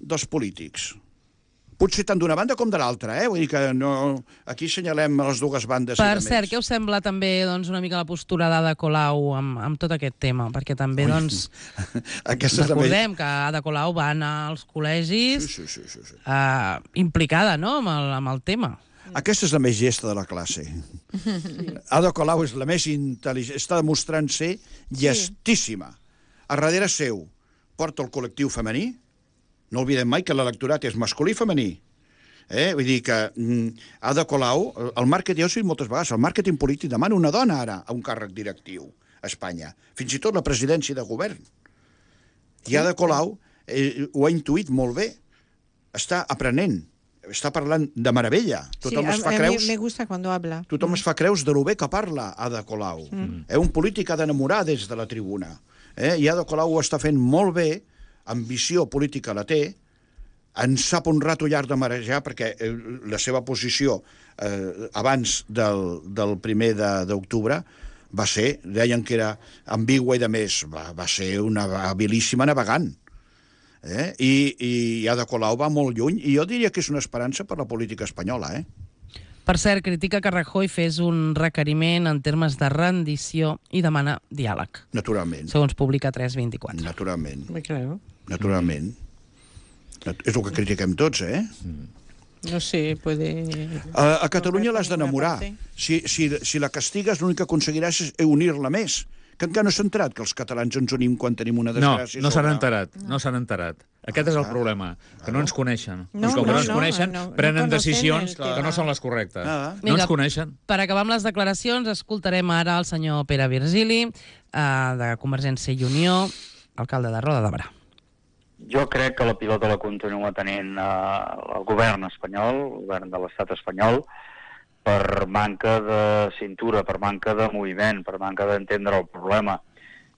dels polítics. Potser tant d'una banda com de l'altra, eh? Vull dir que no... aquí senyalem les dues bandes. Per cert, què us sembla també doncs, una mica la postura d'Ada Colau amb, amb tot aquest tema? Perquè també, doncs, recordem que Ada Colau va anar als col·legis sí, sí, sí, sí. Uh, implicada, no?, amb el, amb el tema. Aquesta és la més gesta de la classe. Ada Colau és la més intel·ligent, està demostrant ser llestíssima. A darrere seu porta el col·lectiu femení. No oblidem mai que l'electorat és masculí i femení. Eh? Vull dir que mm, Ada Colau, el màrqueting, ja ho he dit moltes vegades, el màrqueting polític demana una dona ara a un càrrec directiu a Espanya. Fins i tot la presidència de govern. I Ada Colau eh, ho ha intuït molt bé. Està aprenent. Està parlant de meravella. Tothom sí, es fa a, creus... a mi me gusta cuando habla. Tothom mm. es fa creus de lo bé que parla Ada Colau. Mm. Eh, un polític ha d'enamorar des de la tribuna. Eh? I Ada Colau ho està fent molt bé, ambició política la té, en sap un rato llarg de marejar, perquè eh, la seva posició eh, abans del, del primer d'octubre va ser, deien que era ambigua i de més, va, va ser una habilíssima navegant. Eh? I, i Ada Colau va molt lluny, i jo diria que és una esperança per la política espanyola. Eh? Per cert, critica que Rajoy fes un requeriment en termes de rendició i demana diàleg. Naturalment. Segons publica tres vint-i-quatre. Naturalment. Muy claro. Naturalment. És el que critiquem tots, eh? No sé, puede... A, a Catalunya l'has d'enamorar. Si, si, si la castigues, l'únic que aconseguiràs és unir-la més. Que encara no s'ha enterat que els catalans ens unim quan tenim una desgràcia. No, no s'han enterat, no s'han enterat. Aquest és el problema, que no ens coneixen. No, I com que no, no ens no, coneixen, no, no prenen conocen decisions el que tema. no són les correctes. Ah. No ens coneixen. Per acabar amb les declaracions, escoltarem ara el senyor Pere Virgili, eh, de Convergència i Unió, alcalde de Roda de Berà. Jo crec que la pilota la continua tenint eh, el govern espanyol, el govern de l'estat espanyol, per manca de cintura, per manca de moviment, per manca d'entendre el problema.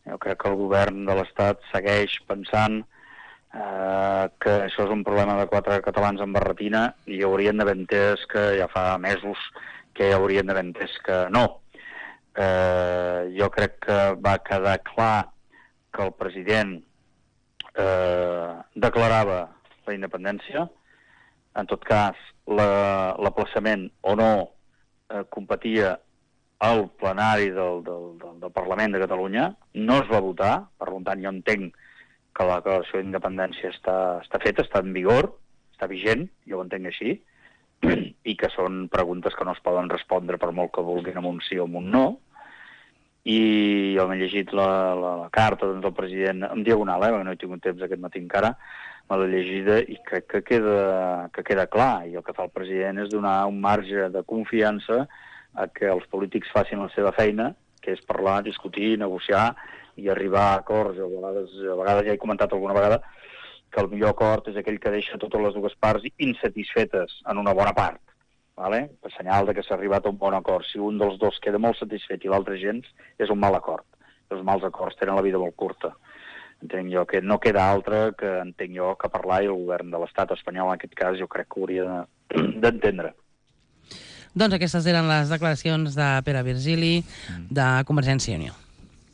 Jo crec que el govern de l'estat segueix pensant eh, que això és un problema de quatre catalans amb barretina i haurien d'haver entès que ja fa mesos que haurien d'haver entès que no. Eh, jo crec que va quedar clar que el president eh, declarava la independència. En tot cas, l'aplaçament o no eh, competia al plenari del, del, del, del Parlament de Catalunya. No es va votar, per tant jo entenc que la declaració d'independència està, està feta, està en vigor, està vigent, jo ho entenc així, i que són preguntes que no es poden respondre per molt que vulguin amb un sí o amb un no. I jo m'he llegit la, la, la carta doncs, del president en diagonal, eh, perquè no he tingut temps aquest matí encara, me l'he llegida i crec que queda, que queda clar. I el que fa el president és donar un marge de confiança a que els polítics facin la seva feina, que és parlar, discutir, negociar i arribar a acords. A vegades, a vegades ja he comentat alguna vegada que el millor acord és aquell que deixa totes les dues parts insatisfetes en una bona part. Vale? El senyal de que s'ha arribat a un bon acord. Si un dels dos queda molt satisfet i l'altre gens, és un mal acord. Els mals acords tenen la vida molt curta. Entenc jo que no queda altre que entenc jo que parlar, i el govern de l'estat espanyol en aquest cas jo crec que hauria d'entendre. Doncs aquestes eren les declaracions de Pere Virgili, de Convergència i Unió.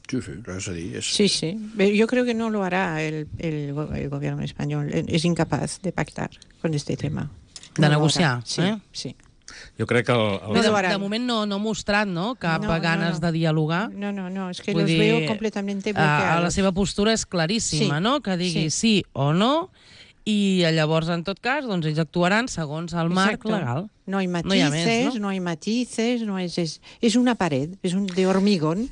Sí, sí, res a dir. És... Sí, sí. Yo creo que no lo hará el, el, el gobierno español. Es incapaz de pactar con este tema. De No negociar, sí, eh? Sí. Jo crec que... El, el... Bé, de, de moment no, no ha mostrat no, cap No, no, ganes no. de dialogar. No, no, no, es que Vull los dir, veo completamente a, bloqueados. a la seva postura és claríssima, Sí, no? Que digui sí. sí o no, i llavors, en tot cas, doncs ells actuaran segons el marc Exacto. legal. No hay No hi ha matices, més, no, no? hay matices, no es, es, es una pared, es un de hormigón.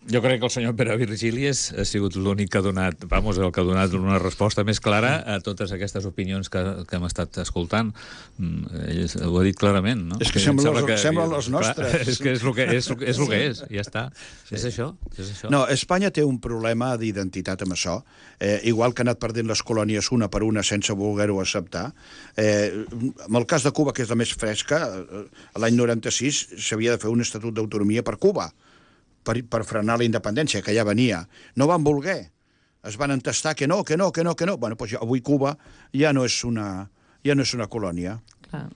Jo crec que el senyor Pere Virgili és, ha sigut l'únic que ha donat, vamos, el que ha donat una resposta més clara a totes aquestes opinions que, que hem estat escoltant. Mm, ell ho ha dit clarament, no? És que sembla les- semblen les clar, nostres. És que és el que és, és, el que és, ja està. Sí. És això, és això. No, Espanya té un problema d'identitat amb això. Eh, igual que ha anat perdent les colònies una per una sense voler-ho acceptar. Eh, en el cas de Cuba, que és la més fresca, eh, l'any noranta-sis s'havia de fer un estatut d'autonomia per Cuba, per, per frenar la independència, que ja venia. No van voler. Es van entestar que no, que no, que no, que no. Bueno, doncs ja, avui Cuba ja no és una, ja no és una colònia. Clar.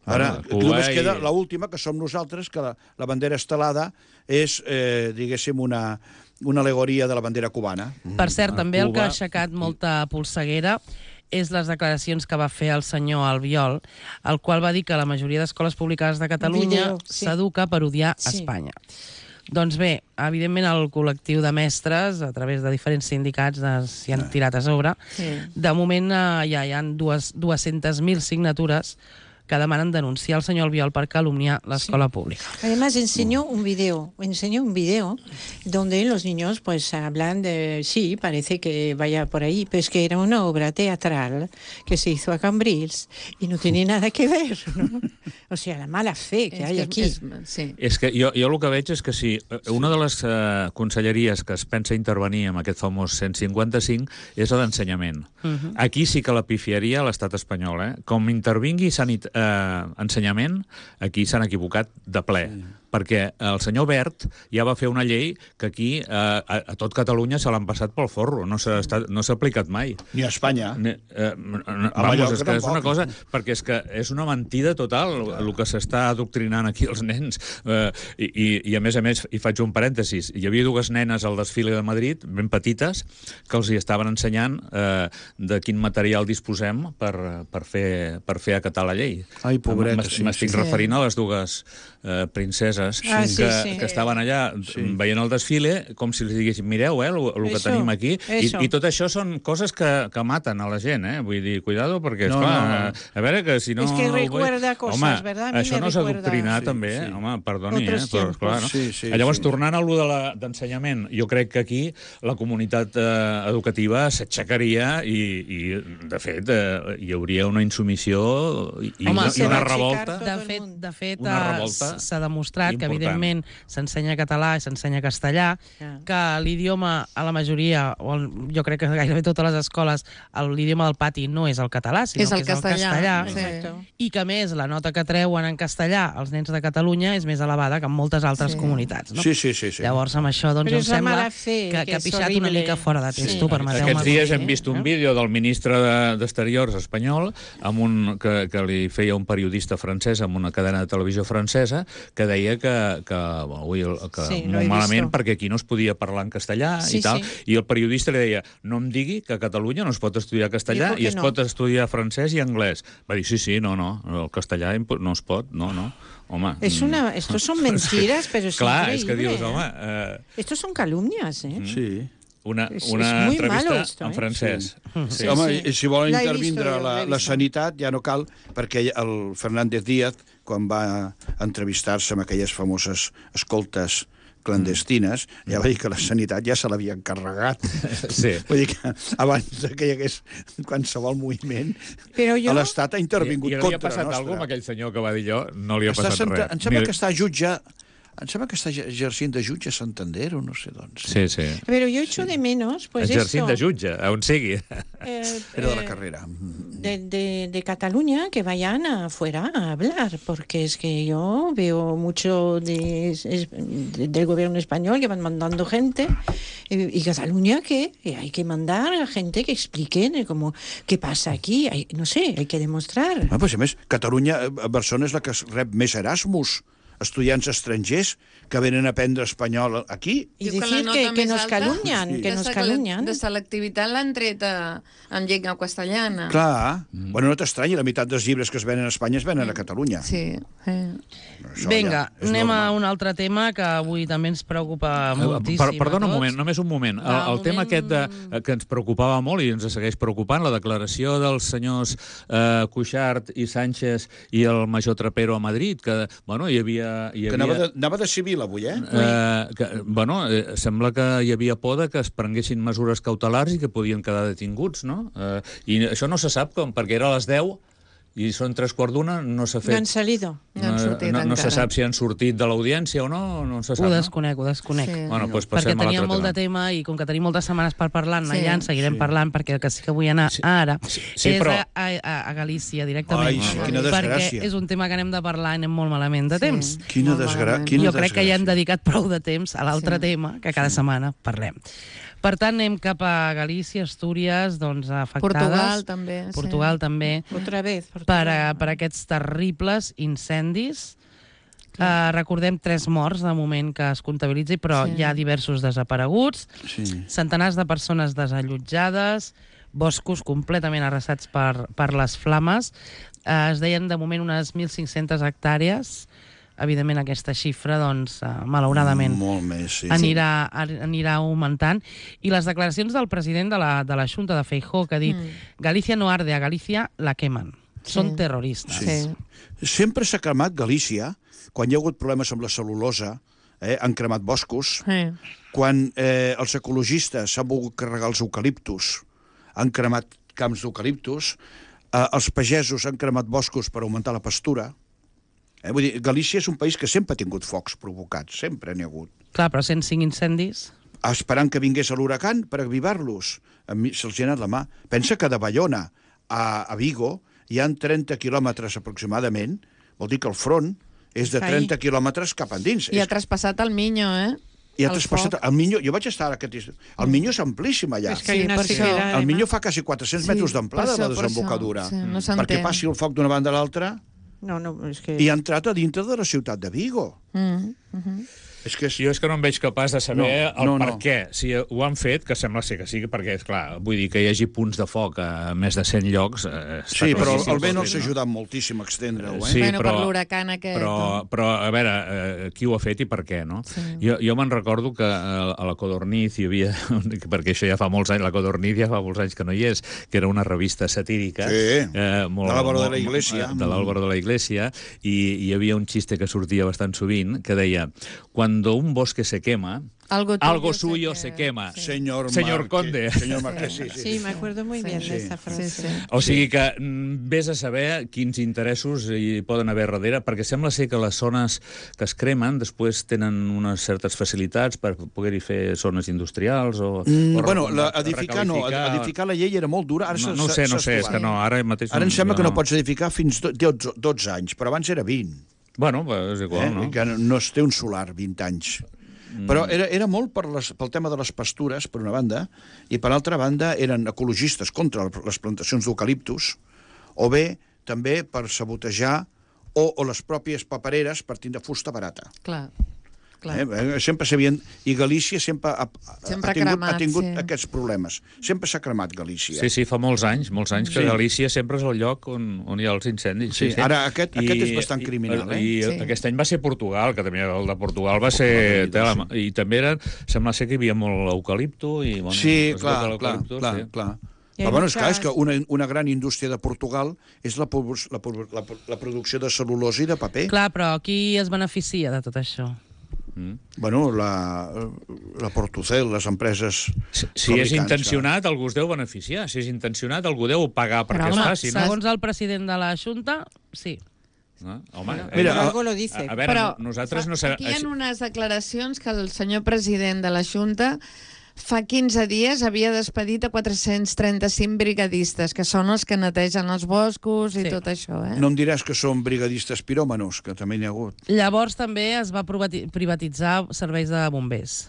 Ara, Ah, Cuba només i- queda l'última, que som nosaltres, que la, la bandera estelada és, eh, diguéssim, una, una alegoria de la bandera cubana. Per cert, també el que ha Cuba- aixecat molta polseguera és les declaracions que va fer el senyor Albiol, el qual va dir que la majoria d'escoles públiques de Catalunya Video, sí. s'educa per odiar Sí. Espanya. Doncs bé, evidentment el col·lectiu de mestres, a través de diferents sindicats, s'hi han tirat a sobre. Sí. De moment eh, ja hi ha dues-centes mil signatures que demanen denunciar el senyor Albiol per calumniar l'escola pública. Además enseñó un video, enseñó un video donde los niños pues hablan de, sí, parece que vaya por ahí, pero es que era una obra teatral que se hizo a Cambrils y no tiene nada que ver, ¿no? O sea, la mala fe que hay aquí. És, sí. És que jo, jo el que veig és que si una de les uh, conselleries que es pensa intervenir amb aquest famós cent cinquanta-cinc és la d'ensenyament. Uh -huh. Aquí sí que la pifiaria l'Estat espanyol, eh? Com intervingui sanit eh, ensenyament, aquí s'han equivocat de ple. Sí. Perquè el senyor Wert ja va fer una llei que aquí eh, a, a tot Catalunya se l'han passat pel forro, no s'ha no s'ha aplicat mai. Ni a Espanya. Ne, eh, vamos, Mallorca és que és tampoc. una cosa... Perquè és que és una mentida total el que s'està adoctrinant aquí els nens. Eh, i, i, I a més a més, hi faig un parèntesis, hi havia dues nenes al desfile de Madrid, ben petites, que els hi estaven ensenyant eh, de quin material disposem per, per, fer, per fer acatar la llei. Ai, pobretes, M'es- sí, M'estic sí. referint a les dues eh, princeses franceses Ah, sí, que, sí. que estaven allà Sí. veient el desfile, com si els diguessin, mireu, eh, el, el que Eso, tenim aquí. I, eso. I tot això són coses que, que maten a la gent, eh? Vull dir, cuidado, perquè, No, esclar, no, no. a veure, que si no... Es que ho vull- recuerda cosas, home, ¿verdad? A mí això me no és recuerda- adoctrinar, Sí, també, sí. eh? Home, perdoni, Otros eh? Però, tiempos. clar, no? Sí, sí, Llavors, sí. tornant a allò de la- d'ensenyament, jo crec que aquí la comunitat eh, educativa s'aixecaria i, i, de fet, eh, hi hauria una insumissió i, i Home, una, se i una va revolta. tot De el fet, món. de fet Una eh, revolta s'ha demostrat que, important. evidentment, s'ensenya català i s'ensenya castellà, Ja. que l'idioma a la majoria, o el, jo crec que gairebé totes les escoles, el- l'idioma del pati no és el català, sinó És el que és castellà. el castellà. Sí. Exacto. I que, a més, la nota que treuen en castellà els nens de Catalunya és més elevada que en moltes altres Sí. comunitats. No? Sí, sí, sí. sí. Llavors, amb això, doncs, Però em és la sembla mala fe, que, que que ha és pixat una horrible. mica fora de testo, Sí. permeteu-me. Aquests dies dir, hem vist un eh? vídeo del ministre de- d'Exteriors espanyol amb un, que, que li feia un periodista francès amb una cadena de televisió francesa que deia que, que, bueno, ui, que Sí, lo he molt malament visto. perquè aquí no es podia parlar en castellà Sí, i tal, sí. i el periodista li deia no em digui que a Catalunya no es pot estudiar castellà Dijo que i es no. pot estudiar francès i anglès. Va dir, sí, sí, no, no, el castellà impo- no es pot, no, no. Home, Es una, estos son mentiras, pero es clar, és que increíble, dius, ¿eh? home, eh, Estos son calumnias, ¿eh? Sí. una, És- una és muy entrevista malo esto, en eh? francès. Sí, home, sí. i si volen L'he intervindre visto, la, l'he la visto. sanitat ja no cal, perquè el Fernández Díaz, quan va entrevistar-se amb aquelles famoses escoltes clandestines, ja va dir que la sanitat ja se l'havia encarregat. Sí. Vull dir que abans que hi hagués qualsevol moviment, Però jo- l'Estat ha intervingut I, i li contra ha passat nostra. alguna cosa amb aquell senyor que va dir jo? No li ha Està passat senta... res. Em sembla Ni- que està jutge... Em sembla que està exercint de jutge a Santander o no sé d'on. Sí, sí. Pero yo echo de menos, pues Exercint eso, de jutge, on sigui. eh, Era de la eh, carrera. de, de, de Cataluña que vayan afuera a hablar, porque es que yo veo mucho de, es- de- del gobierno español que van mandando gente, y, y Cataluña que y hay que mandar a gente que expliquen eh, como qué pasa aquí, hay- no sé, hay que demostrar. Ah, pues, a més, Catalunya, eh, Barcelona és la que es rep més Erasmus, estudiants estrangers que venen a aprendre espanyol aquí. Y Diu que la decir nota que, que més nos alta calumnian, Sí. que de nos sele- calumnian. De selectivitat l'han tret a, en llengua castellana. Clar. Mm. Bueno, no t'estranyi, la meitat dels llibres que es venen a Espanya es venen a Catalunya. Sí. eh. Això Vinga, ja és anem normal. a un altre tema que avui també ens preocupa moltíssim. Per, perdona un a tots. moment, només un moment. El, Va, el un tema moment. aquest de, eh, que ens preocupava molt i ens segueix preocupant, la declaració dels senyors eh, Cuixart i Sánchez i el major Trapero a Madrid, que, bueno, hi havia... Hi Que havia anava de, anava de civil avui, eh? Eh, que, bueno, eh, sembla que hi havia por de que es prenguessin mesures cautelars i que podien quedar detinguts, no? Eh, I això no se sap com, perquè era a les deu i són tres quarts d'una, no s'ha No fet... han salido. No han sortit no, no se encara. sap si han sortit de l'audiència o no, no se sap, Ho no? desconec, ho desconec. Sí. Bueno, doncs Perquè passem a teníem l'altre molt de tema. tema i com que tenim moltes setmanes per parlar, anar Sí. allà en seguirem Sí. parlant, perquè el que sí que vull anar Sí. ara Sí, sí, és però- a, a, a Galícia directament. Ai, sí, quina perquè desgràcia. és un tema que anem de parlar i anem molt malament de Sí. temps. Quina Molt desgrà... malament. Quina Jo crec que ja hem desgràcia. dedicat prou de temps a l'altre Sí. tema que cada setmana parlem. Per tant, anem cap a Galícia, Astúries, doncs, afectades. Portugal també. sí. Portugal també, Otra vez. per, Portugal. a, per aquests terribles incendis. Uh, recordem tres morts de moment que es comptabilitzi, però Sí. hi ha diversos desapareguts, Sí. centenars de persones desallotjades, boscos completament arrasats per, per les flames. Uh, es deien de moment unes mil cinc-centes hectàrees. Evidentment aquesta xifra, doncs, uh, malauradament, Molt més, sí. anirà, anirà augmentant. I les declaracions del president de la, de la Junta de Feijóo, que ha dit Mm. Galícia no arde, a Galícia la quemen. Sí. Són terroristes. Sí. Sempre s'ha cremat Galícia, quan hi ha hagut problemes amb la cel·lulosa, eh, han cremat boscos, Sí. quan eh, els ecologistes s'han volgut carregar els eucaliptus, han cremat camps d'eucaliptus, eh, els pagesos han cremat boscos per augmentar la pastura. Eh, vull dir, Galícia és un país que sempre ha tingut focs provocats, sempre n'hi ha hagut. Clar, però cent cinc incendis... Esperant que vingués l'huracan per avivar-los. A mi se'ls ha anat la mà. Pensa que de Bayona a, a Vigo hi han trenta quilòmetres aproximadament, vol dir que el front és de Ahí. trenta quilòmetres cap endins. I ha És- traspassat el Miño, eh? I ha el traspassat... foc. El Miño, jo vaig estar aquest estiu. El Miño és amplíssim allà. Es que hay Sí, una per això. sequera, El Miño además. fa quasi quatre-cents Sí, metres d'amplada, per la això, per desembocadura. això. Sí, no perquè s'entén. passi el foc d'una banda a l'altra No, no, es que... i ha entrat a dintre de la ciutat de Vigo. Mm, mhm. És que és... Jo és que no em veig capaç de saber No, el no, per no. què. Si ho han fet, que sembla ser que sí, perquè, esclar, vull dir que hi hagi punts de foc a més de cent llocs... Eh, està Sí, però claríssim el que vent ho els fet, ha ajudat moltíssim a extendre-ho, eh? Sí, bueno, però- per l'huracan aquest. Però, però, a veure, eh, qui ho ha fet i per què, no? Sí. Jo, jo me'n recordo que a, a la Codorniz hi havia, perquè això ja fa molts anys, la Codorniz ja fa molts anys que no hi és, que era una revista satírica. Sí, eh, molt, de l'Álvaro de molt- la Iglesia. De l'Álvaro de la Iglesia, i hi havia un xiste que sortia bastant sovint, que deia, cuando un bosque se quema, Algo tuyo, algo se suyo que- se quema. sí. Señor, Señor Marque- Conde. Señor Marqués, sí, sí. Sí, me acuerdo muy bien Sí. de esa Sí, frase. sí. O sigui que mm, vés a saber quins interessos hi poden haver darrere, perquè sembla ser que les zones que es cremen després tenen unes certes facilitats per poder-hi fer zones industrials o... Mm, o bueno, re- la, edificar no, recalificar. edificar la llei era molt dura. Ara No, s'ha- no ho sé, no ho s'ha sé, és estovat. que no, ara mateix... Ara em sembla que no jo pots edificar fins do- dotze, dotze anys, però abans era vint. Bueno, pues és igual, Eh? no? Que no, no es té un solar vint anys. Però era, era molt per les, pel tema de les pastures, per una banda, i per altra banda eren ecologistes contra les plantacions d'eucaliptus, o bé també per sabotejar o, o les pròpies papereres partint de fusta barata. Clar, clar. Eh? Sempre s'havien... I Galícia sempre ha, ha, Sempre ha tingut, cremat, ha tingut sí. aquests problemes. Sempre s'ha cremat Galícia. Sí, sí, fa molts anys, molts anys que Sí. Galícia sempre és el lloc on, on hi ha els incendis. Sí, ara aquest- aquest és bastant criminal, eh? I, i Sí. aquest any va ser Portugal, que també el de Portugal va ser... Portugal, Tela, I també era, sembla ser que hi havia molt eucalipto i... Bueno, Sí, es clar, veu que clar, l'eucalipto, clar, sí. clar. I Però bueno, és en clar, és que cas- una, una gran indústria de Portugal és la, produ- la, produ- la, la producció de cel·lulosa i de paper. Clar, però qui es beneficia de tot això? Mm. Bueno, la, la Portucel, les empreses Si, si és fabricants, intencionat, algú es deu beneficiar. Si és intencionat, algú deu pagar perquè Però, es home, faci. No? Segons el president de la Junta, sí. No? Home, Bueno, eh, Mira, pero a- algo lo dice. a, a veure, Però nosaltres fa- no sabem... aquí hi ha unes declaracions que el senyor president de la Junta fa quinze dies havia despedit a quatre-cents trenta-cinc brigadistes, que són els que netegen els boscos i Sí. tot això, eh? No em diràs que són brigadistes piròmanos, que també n'hi ha hagut. Llavors també es va privati- privatitzar serveis de bombers.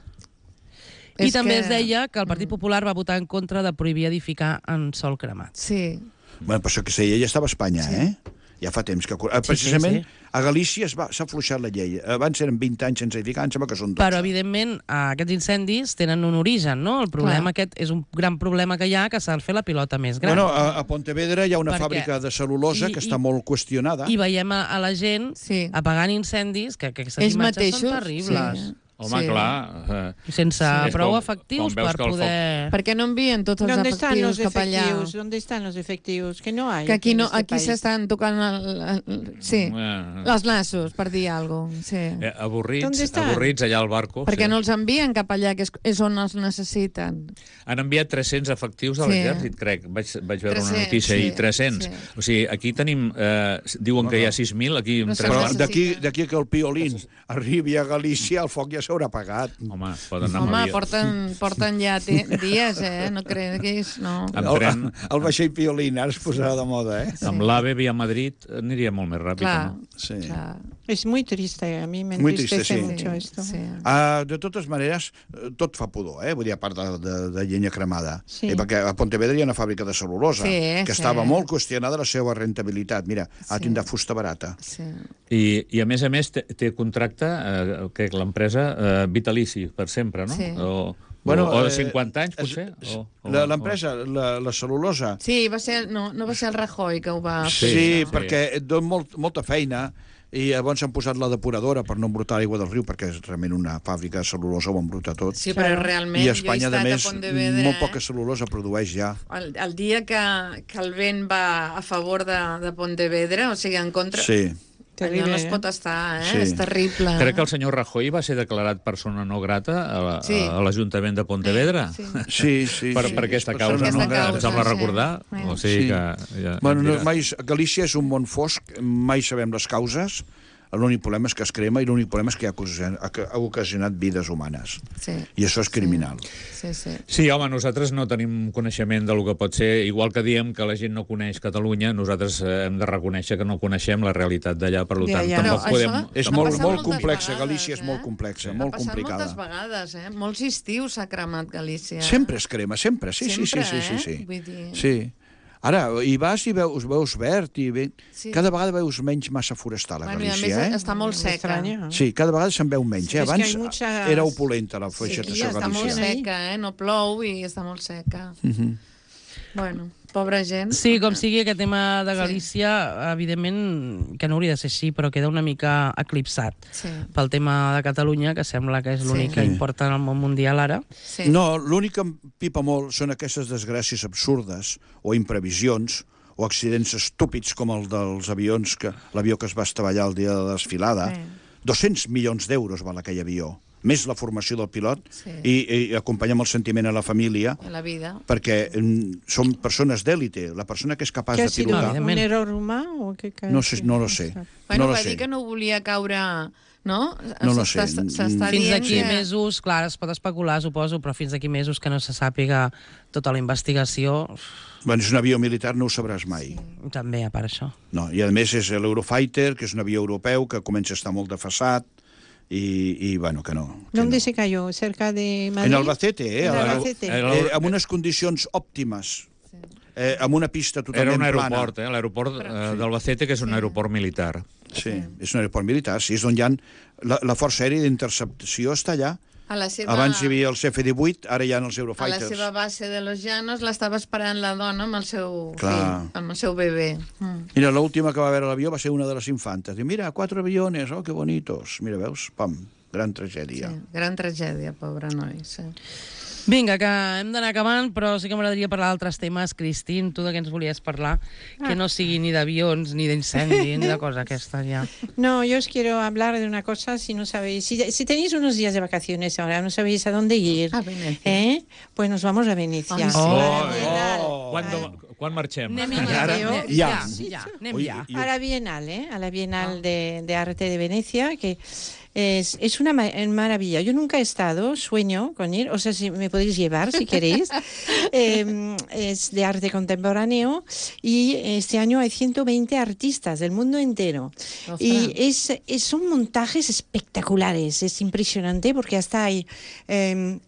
I És també que- es deia que el Partit Popular va votar en contra de prohibir edificar en sòl cremat. Sí. Bueno, però això que seia ja estava a Espanya, sí. eh? Ja fa temps que... Eh, Precisament, sí, sí, sí. a Galícia es va- s'ha afluixat la llei. Abans eren vint anys sense edificar, em sembla que són dotze. Però, evidentment, eh, aquests incendis tenen un origen, no? El problema Clar. aquest és un gran problema que hi ha, que s'ha de fer la pilota més gran. Bueno, a, a Pontevedra hi ha una Perquè- fàbrica de cel·lulosa I- que i- està molt qüestionada. I veiem a, a la gent Sí. apagant incendis, que, que aquestes Ells imatges mateixos, són terribles. sí. Home, Sí. clar... Eh, Sense Sí. prou Com- efectius com veus per que el foc- poder... Per què no envien tots els ¿Dónde están efectius los cap allà? efectivos? ¿Dónde están los efectivos? Que no hay. Que aquí en no, este aquí país. s'estan tocant el, el, sí, eh, els nassos, per dir alguna cosa. Sí. eh, avorrits, ¿Dónde estan? avorrits allà al barco. Perquè sí. no els envien cap allà, que és, és on els necessiten. Han enviat tres-cents efectius a Sí. l'exèrcit, crec. Vaig, vaig veure una tres-cents, notícia sí, i tres-cents. sí. O sigui, aquí tenim... Eh, diuen que hi ha sis mil, aquí... No amb sé, tres Però necessita. d'aquí d'aquí que el piolín arribi a Galícia, el foc ja s'haurà apagat. Home, poden anar Home, amb avió. porten, porten ja te, dies, eh? No creguis, no. Amb El, tren, el vaixell piolín ara es posarà de moda, eh? amb l'AVE via Madrid aniria molt més ràpid. Clar, No? Sí. clar. Es muy triste, a mí me Muy entristece triste, sí. mucho esto. Sí. Uh, de totes maneres, eh, tot fa pudor, eh? Vull dir, a part de, de, de llenya cremada. Sí. Eh, perquè a Pontevedra hi ha una fàbrica de cel·lulosa, Sí, que sí. estava molt qüestionada la seva rentabilitat. Mira, ha Sí. tindrà fusta barata. Sí. I, I, a més a més, té, té contracte, eh, que l'empresa, eh, vitalici, per sempre, no? Sí. O, Bueno, o, o de eh, cinquanta anys, és- potser? O, o, La- L'empresa, la, la cel·lulosa... Sí, va ser, no, no va ser el Rajoy que ho va Sí, fer. sí, això. perquè et dona molt, molta feina i llavors han posat la depuradora per no embrutar l'aigua del riu, perquè és realment una fàbrica de cel·lulosa, ho embruta tot. Sí, però realment I a jo he Espanya, estat a més, a Pontevedra, molt poca eh? cel·lulosa produeix ja. El, el dia que, que el vent va a favor de, de Pontevedra, o sigui, en contra... Sí. Allò no es Terrible, pot estar, eh? Sí. És terrible. Crec que el senyor Rajoy va ser declarat persona no grata a la- Sí. a l'Ajuntament de Pontevedra. Sí. Sí, sí. Per, sí, per és aquesta persona causa, Aquesta no? non grata. Em causa, sembla sí. recordar. Sí. O sigui Sí. que... Ja, Bueno, em no, dirà. mai, Galícia és un món fosc, mai sabem les causes, l'únic problema és que es crema i l'únic problema és que ha ocasionat, ha ocasionat vides humanes. Sí. I això és criminal. Sí, sí. Sí, home, nosaltres no tenim coneixement del que pot ser. Igual que diem que la gent no coneix Catalunya, nosaltres eh, hem de reconèixer que no coneixem la realitat d'allà, per De tant, allà. tampoc Però podem... això- És Ha molt, passat molt moltes complexa, vegades, Galícia és eh? molt complexa, Ha molt passat complicada. moltes vegades, eh? Molts estius s'ha cremat Galícia. Sempre es crema, sempre, sí, Sempre, sí, sí, sí, sí, eh? sí. Vull dir- Sí. Ara, hi vas i veus, veus verd, i ve... Sí. cada vegada veus menys massa forestal a Bueno, i a Galícia, més eh? està molt seca. Extraño. Sí, cada vegada se'n veu menys. Sí, eh? és que Abans hi ha muchas- era opulenta la Sí, vegetació està molt galícia. seca, eh? No plou i està molt seca. Mhm. Bueno, pobra gent. Sí, com sigui, aquest tema de Galícia, evidentment, que no hauria de ser així, però queda una mica eclipsat Sí. pel tema de Catalunya, que sembla que és l'únic Sí. que Sí. importa en el món mundial ara. Sí. No, l'únic que em pipa molt són aquestes desgràcies absurdes o imprevisions o accidents estúpids com el dels avions, que l'avió que es va estavellar el dia de la desfilada. Sí. dos-cents milions d'euros val aquell avió, més la formació del pilot, Sí. i, i acompanyar amb el sentiment a la família, A la vida. perquè mm, són persones d'èlite. La persona que és capaç ¿Qué ha de sido? pilotar... evidentment. ¿Un error humano o qué? No, sé, no lo sé. Bueno, no lo va sé. dir que no volia caure... No? No lo sé. S'està- S'està Fins dient d'aquí que... mesos, clar, es pot especular, suposo, però fins d'aquí mesos que no se sàpiga tota la investigació, Bueno, és un avió militar, no ho sabràs mai. també a part això. No, i a més és l'Eurofighter, que és un avió europeu que comença a estar molt defasat, i, i bueno, que no. Que ¿Dónde no. se cayó? ¿Cerca de Madrid? En Albacete, eh? En a la- Albacete. eh, amb unes condicions òptimes, eh, amb una pista Era totalment un plana. aeroport, eh? l'aeroport eh, d'Albacete, que és un aeroport militar. Sí, és un aeroport militar, sí, és on hi ha... La, la Força Aèria d'Intercepció està allà. A la seva... Abans hi havia els F divuit, ara hi ha els A la Eurofighters. seva base de Los Llanos l'estava esperant la dona amb el seu Clar. fill, amb el seu bebè. Mm. Mira, l'última que va veure l'avió va ser una de les infantes. Diu, mira, quatre aviones, oh, que bonitos. Mira, veus? Pam, gran tragèdia. Sí, gran tragèdia, pobre noi. Sí. Vinga, que hem d'anar acabant, però sí que m'agradaria parlar d'altres temes. Cristín, tu de què ens volies parlar? Ah. Que no sigui ni d'avions, ni d'incendi, ni de cosa aquesta, ja. No, yo os quiero hablar de una cosa, si no sabéis, si, si tenéis unos días de vacaciones ahora, no sabéis a dónde ir, A Venecia. ¿eh? Pues nos vamos a Venecia. Ah, sí. Oh, a la Bienal. oh. Quan, quan marxem? Anem ja, ja, jo- anem ja. ja, ja, anem Ui, ja. i- A la Bienal, ¿eh? A la Bienal de, de Arte de Venecia, que es, es una ma- maravilla. Yo nunca he estado, sueño con ir, o sea, si me podéis llevar si queréis. Eh, es de arte contemporáneo y este año hay ciento veinte artistas del mundo entero. Ostras. Y es, es- son montajes espectaculares, es impresionante porque hasta hay... eh,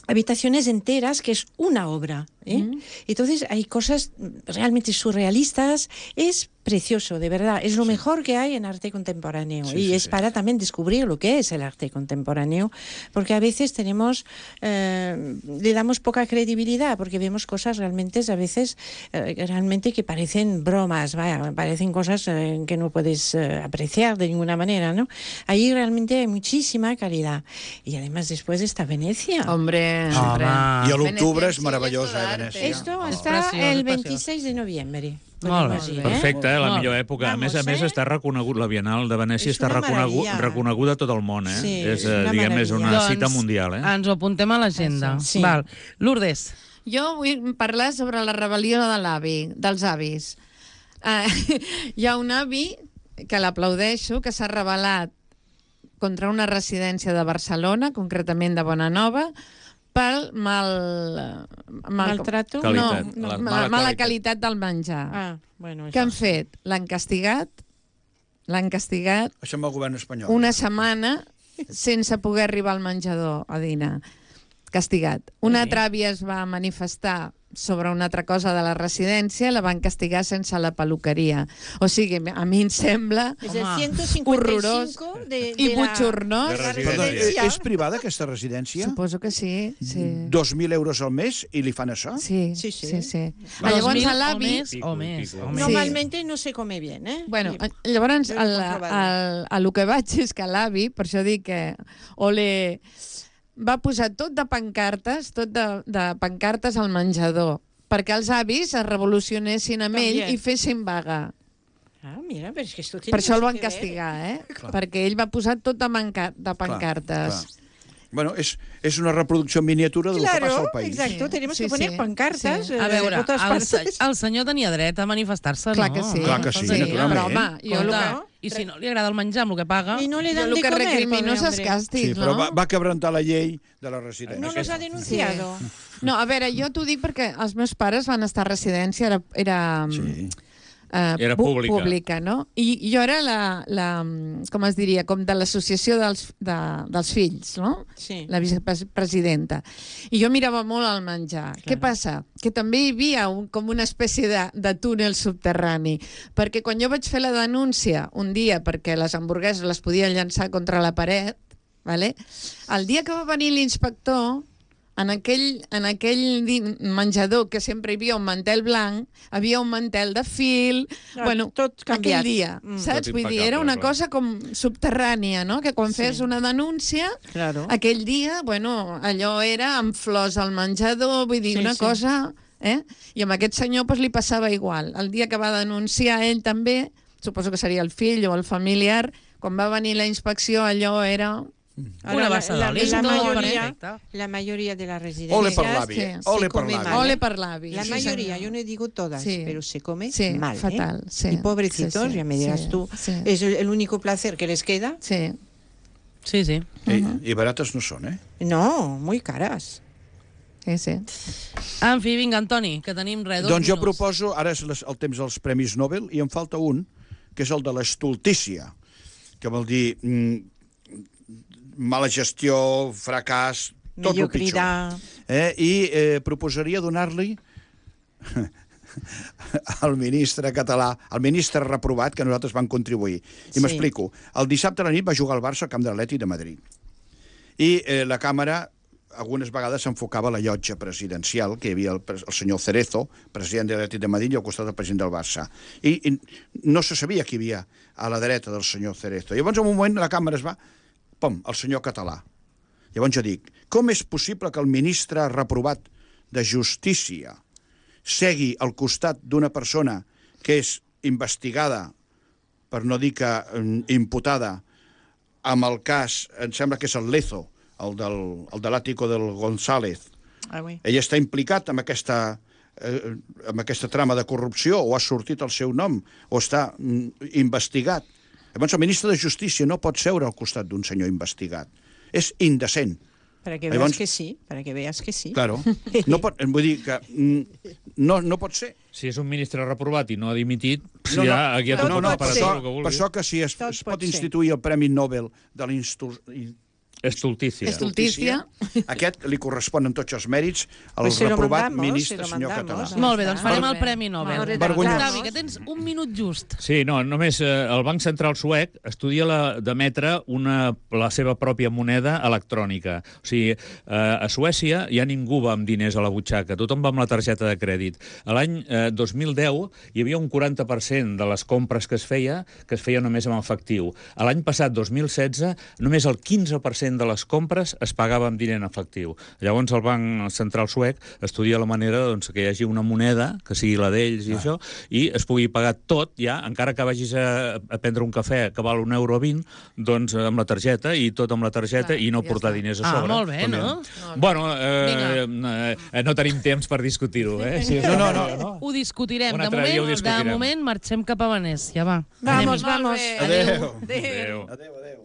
habitaciones enteras que es una obra, ¿eh? Mm. Entonces hay cosas realmente surrealistas, es precioso, de verdad, es lo mejor que hay en arte contemporáneo Sí, y sí, es sí. para también descubrir lo que es el arte contemporáneo, porque a veces tenemos, eh, le damos poca credibilidad porque vemos cosas realmente a veces eh, realmente que parecen bromas, vaya, parecen cosas eh, que no puedes eh, apreciar de ninguna manera, ¿no? Ahí realmente hay muchísima calidad y además después está Venecia. Hombre, Home. hombre. I a l'octubre és Venecia, meravellosa, sí, eh, és Venècia. Esto Oh. está preciós, el és preciós. veintiséis de noviembre. Molt bé. podemos ir, ¿eh? Perfecte, eh? la Molt millor bé. època. A més a Vamos, més, eh? està reconegut, la Bienal de Venècia És està una reconegut, meravella. reconeguda a tot el món, eh? Sí, és, és eh, una diguem, és una meravella. cita mundial, eh? Ens ho apuntem a l'agenda. Això, sí. Val. Lourdes. Jo vull parlar sobre la rebel·lió de l'avi, dels avis. Uh, hi ha un avi que l'aplaudeixo, que s'ha rebel·lat contra una residència de Barcelona, concretament de Bonanova, pel mal... mal Maltrato? Qualitat, no, la no, mala mala, mala qualitat. qualitat del menjar. Ah, bueno, Què han fet? L'han castigat, l'han castigat Això amb el govern espanyol. una setmana sense poder arribar al menjador a dinar. Castigat. Una altra àvia es va manifestar sobre una altra cosa de la residència, la van castigar sense la peluqueria. O sigui, a mi em sembla Es el Home, ciento cincuenta y cinco horrorós de, de i la- butxornós. De de la residència. Perdó, eh, residencia. és privada aquesta residència? Suposo que sí. Sí, dos mil euros al mes i li fan això? sí, Sí, sí. sí. sí, sí. Dos Llavors, mil a o l'avi... més, o més, o més. Normalmente no se come bien, ¿eh? Bueno, Y- llavors, Jo he el, comprovat. el, el, el que vaig és que l'avi, per això dic que ole, va posar tot de pancartes, tot de, de pancartes al menjador, perquè els avis es revolucionessin amb ell També. i fessin vaga. Ah, mira, pero es que esto tiene Per això el mucho van que ver. castigar, eh? Clar. Perquè ell va posar tot de, manca de pancartes. Clar. Bueno, és, és una reproducció en miniatura del que passa Claro, al país. exacto, Sí, tenemos sí, que poner sí, pancartas sí. eh, A veure, por todas el, partes. se- el senyor tenia dret a manifestar-se, Clar no? que sí. Clar que sí, sí naturalment. però, home, jo el Compte, que, I si no li agrada el menjar amb el que paga... Y no le jo dan el de que comer, recrimino és pobre els hombre. càstigs, Sí, però no? va, va quebrantar la llei de la residència. No nos ha denunciado. No, a veure, jo t'ho dic perquè els meus pares van estar a residència, era, era Sí. eh, Era pu- pública. pública, no? I jo era la, la com es diria, com de l'associació dels, de, dels fills, no? Sí. La vicepresidenta. I jo mirava molt el menjar. Clar. Què passa? Que també hi havia un, com una espècie de, de túnel subterrani, perquè quan jo vaig fer la denúncia un dia perquè les hamburgueses les podia llançar contra la paret, vale? El dia que va venir l'inspector, en aquell, en aquell menjador que sempre hi havia un mantel blanc, havia un mantel de fil, Ah, bueno, tot canviat. aquell dia, Mm. saps? Tot Vull dir, era impecable, una clar. cosa com subterrània, no? Que quan Sí. fes una denúncia, Claro. aquell dia, bueno, allò era amb flors al menjador, vull dir, Sí, una sí. cosa... Eh? I amb aquest senyor pues, li passava igual. El dia que va denunciar ell també, suposo que seria el fill o el familiar, quan va venir la inspecció allò era... Una bassa la, d'oli, la, tot mayoría, perfecte. la mayoría de las Ole residencias per l'avi, sí, eh? sí, Ole per come l'avi. mal. Ole per l'avi. La sí, mayoría, senyor. yo no digo todas, Sí. pero se come Sí, mal. fatal, ¿eh? sí. Y pobrecitos, Sí, sí, ya me dirás sí, tú, sí. es el, el único placer que les queda. Sí. Sí, sí. I, I barates no són, eh? No, muy caras. Sí, sí. En fi, vinga, Antoni, que tenim res, dos Doncs jo minuts. proposo, ara és les, el temps dels Premis Nobel, i em falta un, que és el de l'estultícia, que vol dir mm, mala gestió, fracàs, tot el pitjor. Mediocridad. Eh? I eh, proposaria donar-li al ministre català, al ministre reprovat, que nosaltres vam contribuir. I Sí. m'explico. El dissabte a la nit va jugar al Barça al camp de l'Atlètic de Madrid. I eh, la càmera algunes vegades s'enfocava a la llotja presidencial, que hi havia el, el senyor Cerezo, president de l'Atlètic de Madrid, i al costat del president del Barça. I, I no se sabia qui hi havia a la dreta del senyor Cerezo. I llavors, en un moment, la càmera es va... Pum, el senyor català. Llavors jo dic, com és possible que el ministre reprovat de Justícia segui al costat d'una persona que és investigada, per no dir que mm, imputada, amb el cas, em sembla que és el Lezo, el, del, el de l'Àtico del González. Ah, oui. Ell està implicat en aquesta, eh, en aquesta trama de corrupció, o ha sortit el seu nom, o està mm, investigat. Llavors, el ministre de Justícia no pot seure al costat d'un senyor investigat. És indecent. Para que Llavors- veas que sí, para que veas que sí. Claro. No pot, vull dir que mm, no, no pot ser. Si és un ministre reprovat i no ha dimitit, si No, no, ja, aquí ha no, tot no, no, pot per ser. això, això, el que per vulgui. això que si es, Tot es pot pot ser. instituir el Premi Nobel de l'Institut... Estultícia. Estultícia. Aquest li correspon en tots els mèrits al Pues se lo reprovat mandamos, ministre se lo senyor mandamos. català. Molt bé, doncs farem Molt el bé. Premi Nobel. Molt bé. Vergonyós. Octavi, que tens un minut just. Sí, no, només eh, el Banc Central suec estudia la, d'emetre una, la seva pròpia moneda electrònica. O sigui, eh, a Suècia ja ningú va amb diners a la butxaca, tothom va amb la targeta de crèdit. A l'any eh, dos mil deu hi havia un quaranta per cent de les compres que es feia que es feia només amb efectiu. A l'any passat, dos mil setze, només el quinze per cent de les compres es pagava amb diner en efectiu. Llavors el Banc Central suec estudia la manera doncs, que hi hagi una moneda, que sigui la d'ells i ah. això, i es pugui pagar tot ja, encara que vagis a, a prendre un cafè que val un euro vint, doncs amb la targeta, i tot amb la targeta, Clar, i no ja portar està. diners a Ah, sobre. molt bé, També. no? Bueno, eh, eh, no tenim temps per discutir-ho, eh? Si No, no, no. Ho discutirem. Un De altre dia ho moment, de discutirem. moment marxem cap a Venècia, va. Vamos, Anem-hi. vamos. Adéu. Adéu. Adéu, adéu.